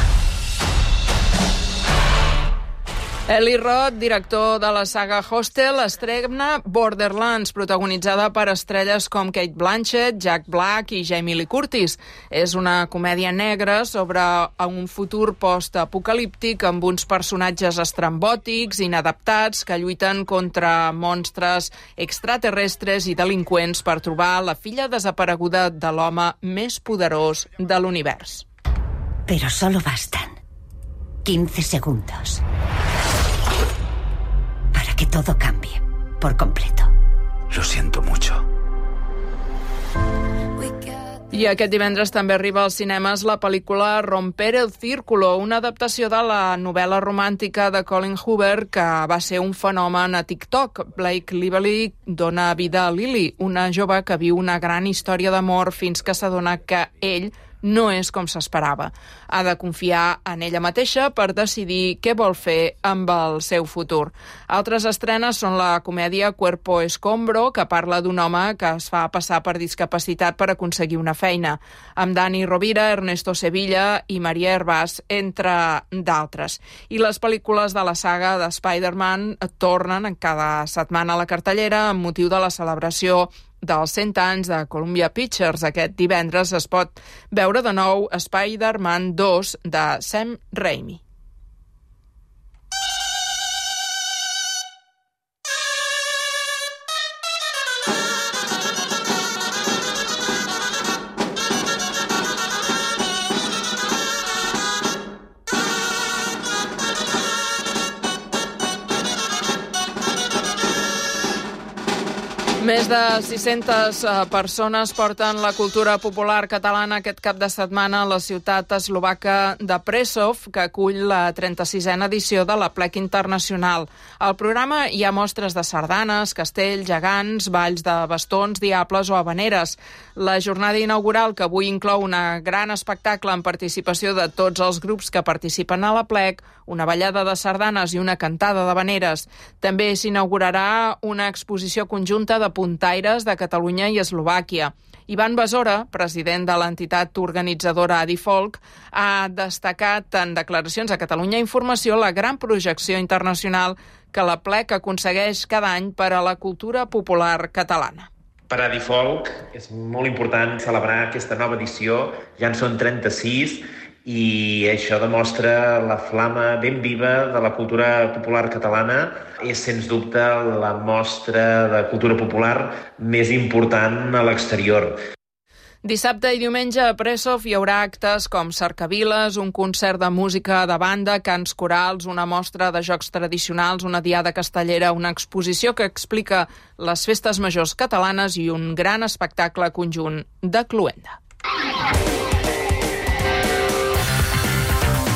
Eli Roth, director de la saga Hostel, estrena Borderlands, protagonitzada per estrelles com Cate Blanchett, Jack Black i Jamie Lee Curtis. És una comèdia negra sobre un futur post-apocalíptic amb uns personatges estrambòtics, inadaptats, que lluiten contra monstres extraterrestres i delinqüents per trobar la filla desapareguda de l'home més poderós de l'univers. Pero solo bastan quince segundos para que todo cambie por completo. Lo siento mucho. I aquest divendres també arriba als cinemes la pel·lícula Romper el Círculo, una adaptació de la novel·la romàntica de Colin Hoover que va ser un fenomen a TikTok. Blake Lively dona vida a Lily, una jove que viu una gran història d'amor fins que s'adona que ell no és com s'esperava. Ha de confiar en ella mateixa per decidir què vol fer amb el seu futur. Altres estrenes són la comèdia Cuerpo Escombro, que parla d'un home que es fa passar per discapacitat per aconseguir una feina, amb Dani Rovira, Ernesto Sevilla i Maria Hervás, entre d'altres. I les pel·lícules de la saga de Spider-Man tornen cada setmana a la cartellera amb motiu de la celebració dels cent anys de Columbia Pictures. Aquest divendres es pot veure de nou Spider-Man dos de Sam Raimi. Més de sis-centes persones porten la cultura popular catalana aquest cap de setmana a la ciutat eslovaca de Prešov, que acull la trenta-sisena edició de la Plec Internacional. Al programa hi ha mostres de sardanes, castells, gegants, balls de bastons, diables o habaneres. La jornada inaugural, que avui inclou una gran espectacle en participació de tots els grups que participen a la Plec, una ballada de sardanes i una cantada d'habaneres. També s'inaugurarà una exposició conjunta de puntaires de Catalunya i Eslovàquia. Ivan Besora, president de l'entitat organitzadora Adifolk, ha destacat en declaracions a Catalunya Informació la gran projecció internacional que la Plec aconsegueix cada any per a la cultura popular catalana. Per a Adifolk és molt important celebrar aquesta nova edició, ja en són trenta-sis, i això demostra la flama ben viva de la cultura popular catalana. És, sens dubte, la mostra de cultura popular més important a l'exterior. Dissabte i diumenge a Prešov hi haurà actes com cercaviles, un concert de música de banda, cants corals, una mostra de jocs tradicionals, una diada castellera, una exposició que explica les festes majors catalanes i un gran espectacle conjunt de cloenda.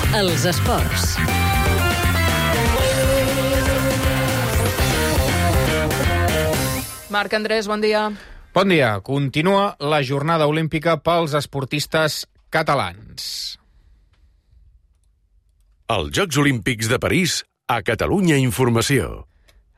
Els esports. Marc Andrés, bon dia. Bon dia. Continua la jornada olímpica pels esportistes catalans. Els Jocs Olímpics de París a Catalunya Informació.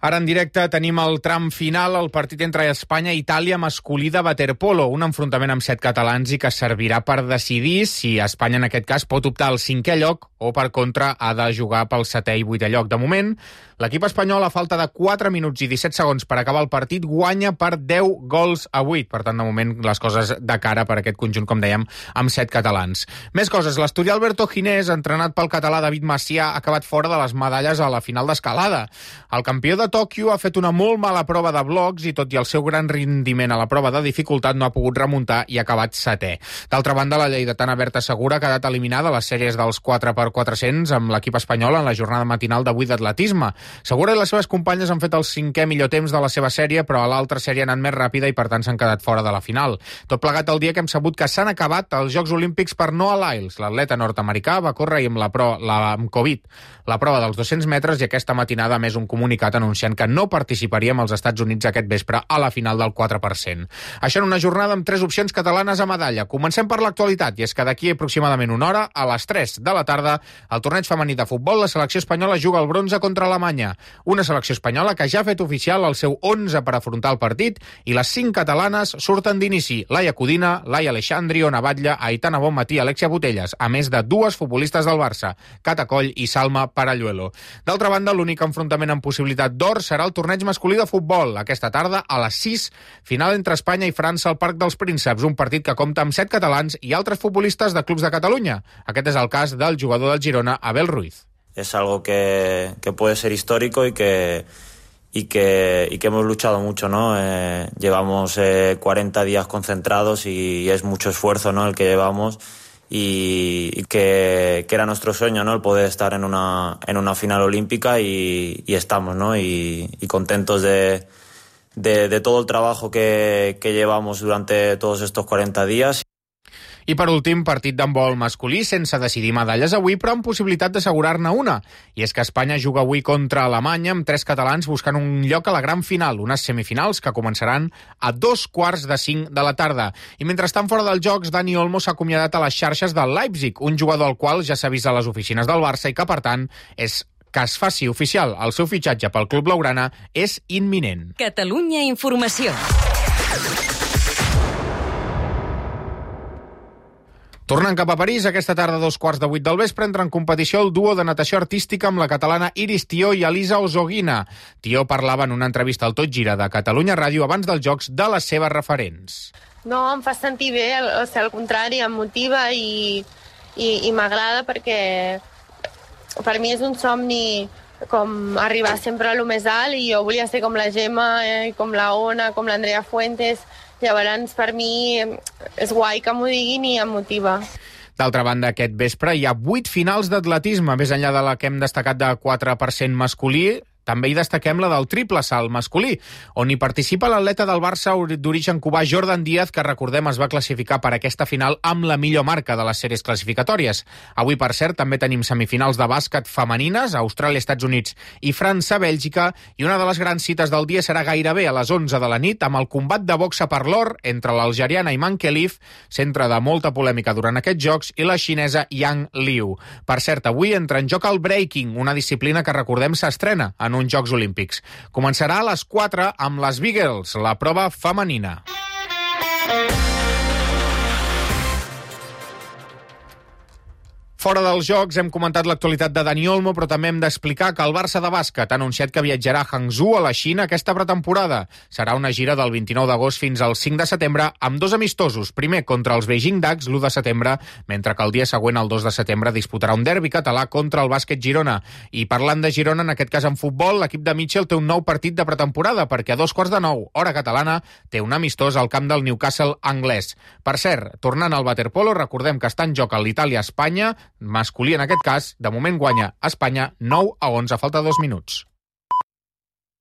Ara en directe tenim el tram final, el partit entre Espanya i Itàlia masculí de waterpolo, un enfrontament amb set catalans i que servirà per decidir si Espanya en aquest cas pot optar al cinquè lloc o per contra ha de jugar pel setè i vuitè lloc. De moment, l'equip espanyol a falta de quatre minuts i disset segons per acabar el partit guanya per deu gols a vuit. Per tant, de moment, les coses de cara per aquest conjunt, com dèiem, amb set catalans. Més coses. L'asturià Alberto Ginés, entrenat pel català David Macià, ha acabat fora de les medalles a la final d'escalada. El campió de Tòquio ha fet una molt mala prova de blocs i, tot i el seu gran rendiment a la prova de dificultat, no ha pogut remuntar i ha acabat setè. D'altra banda, la lleidatana Berta Segura ha quedat eliminada a les sèries dels quatre per quatre-cents amb l'equip espanyol en la jornada matinal d'avui d'atletisme. Segura i les seves companyes han fet el cinquè millor temps de la seva sèrie, però a l'altra sèrie ha anat més ràpida i per tant s'han quedat fora de la final. Tot plegat el dia que hem sabut que s'han acabat els Jocs Olímpics per Noah Lyles. L'atleta nord-americà va córrer amb la, pro, la amb Covid la prova dels dos-cents metres i aquesta matinada ha més un comunicat anunciant que no participaria amb els Estats Units aquest vespre a la final del quatre per cent. Això en una jornada amb tres opcions catalanes a medalla. Comencem per l'actualitat, i és que d'aquí aproximadament una hora, a les tres de la tarda, al torneig femení de futbol, la selecció espanyola juga el bronze contra Alemanya. Una selecció espanyola que ja ha fet oficial el seu onze per afrontar el partit i les cinc catalanes surten d'inici. Laia Codina, Laia Aleixandri, Ona Batlle, Aitana Bonmatí, Alexia Botelles, a més de dues futbolistes del Barça, Cata Coll i Salma Paralluelo. D'altra banda, l'únic enfrontament amb possibilitat d'or serà el torneig masculí de futbol. Aquesta tarda, a les sis, final entre Espanya i França al Parc dels Prínceps, un partit que compta amb set catalans i altres futbolistes de clubs de Catalunya. Aquest és el cas del jugador del Girona, Abel Ruiz. Es algo que, que puede ser histórico y que, y que, y que hemos luchado mucho, ¿no? Eh, llevamos eh, cuarenta días concentrados y, y es mucho esfuerzo, ¿no?, el que llevamos. Y, y que, que era nuestro sueño, ¿no?, el poder estar en una, en una final olímpica y, y estamos, ¿no?, y, y contentos de, de, de todo el trabajo que, que llevamos durante todos estos cuarenta días. I per últim, partit d'handbol masculí sense decidir medalles avui, però amb possibilitat d'assegurar-ne una. I és que Espanya juga avui contra Alemanya amb tres catalans buscant un lloc a la gran final, unes semifinals que començaran a dos quarts de cinc de la tarda. I mentre estan fora dels Jocs, Dani Olmo s'ha acomiadat a les xarxes del Leipzig, un jugador al qual ja s'ha vist a les oficines del Barça i que, per tant, és que es faci oficial el seu fitxatge pel club blaugrana és imminent. Catalunya Informació. Tornant cap a París, aquesta tarda a dos quarts de vuit del vespre entra en competició el duo de natació artística amb la catalana Iris Tió i Elisa Osoguina. Tió parlava en una entrevista al Tot Gira de Catalunya Ràdio abans dels Jocs de les seves referents. No, em fa sentir bé, o sigui, al contrari, em motiva i, i, i m'agrada perquè per mi és un somni com arribar sempre a lo més alt i jo volia ser com la Gemma, eh, com la Ona, com l'Andrea Fuentes. Llavors, per mi, és guai que m'ho diguin i em motiva. D'altra banda, aquest vespre hi ha vuit finals d'atletisme, més enllà de la que hem destacat de quatre per cent masculí. També hi destaquem la del triple salt masculí, on hi participa l'atleta del Barça d'origen cubà Jordan Díaz, que recordem es va classificar per aquesta final amb la millor marca de les sèries classificatòries. Avui, per cert, també tenim semifinals de bàsquet femenines, Austràlia, Estats Units i França, Bèlgica, i una de les grans cites del dia serà gairebé a les onze de la nit amb el combat de boxa per l'or entre l'algeriana Iman Khelif, centre de molta polèmica durant aquests Jocs, i la xinesa Yang Liu. Per cert, avui entra en joc el breaking, una disciplina que recordem s'estrena en uns Jocs Olímpics. Començarà a les quatre amb les Beagles, la prova femenina. Fora dels Jocs hem comentat l'actualitat de Dani Olmo, però també hem d'explicar que el Barça de bàsquet ha anunciat que viatjarà a Hangzhou, a la Xina, aquesta pretemporada. Serà una gira del vint-i-nou d'agost fins al cinc de setembre, amb dos amistosos. Primer contra els Beijing Ducks, l'u de setembre, mentre que el dia següent, el dos de setembre, disputarà un derbi català contra el Bàsquet Girona. I parlant de Girona, en aquest cas en futbol, l'equip de Mitchell té un nou partit de pretemporada, perquè a dos quarts de nou, hora catalana, té un amistós al camp del Newcastle anglès. Per cert, tornant al waterpolo, recordem que està en joc l'Itàlia-Espanya, masculí en aquest cas, de moment guanya Espanya nou a onze, falta dos minuts.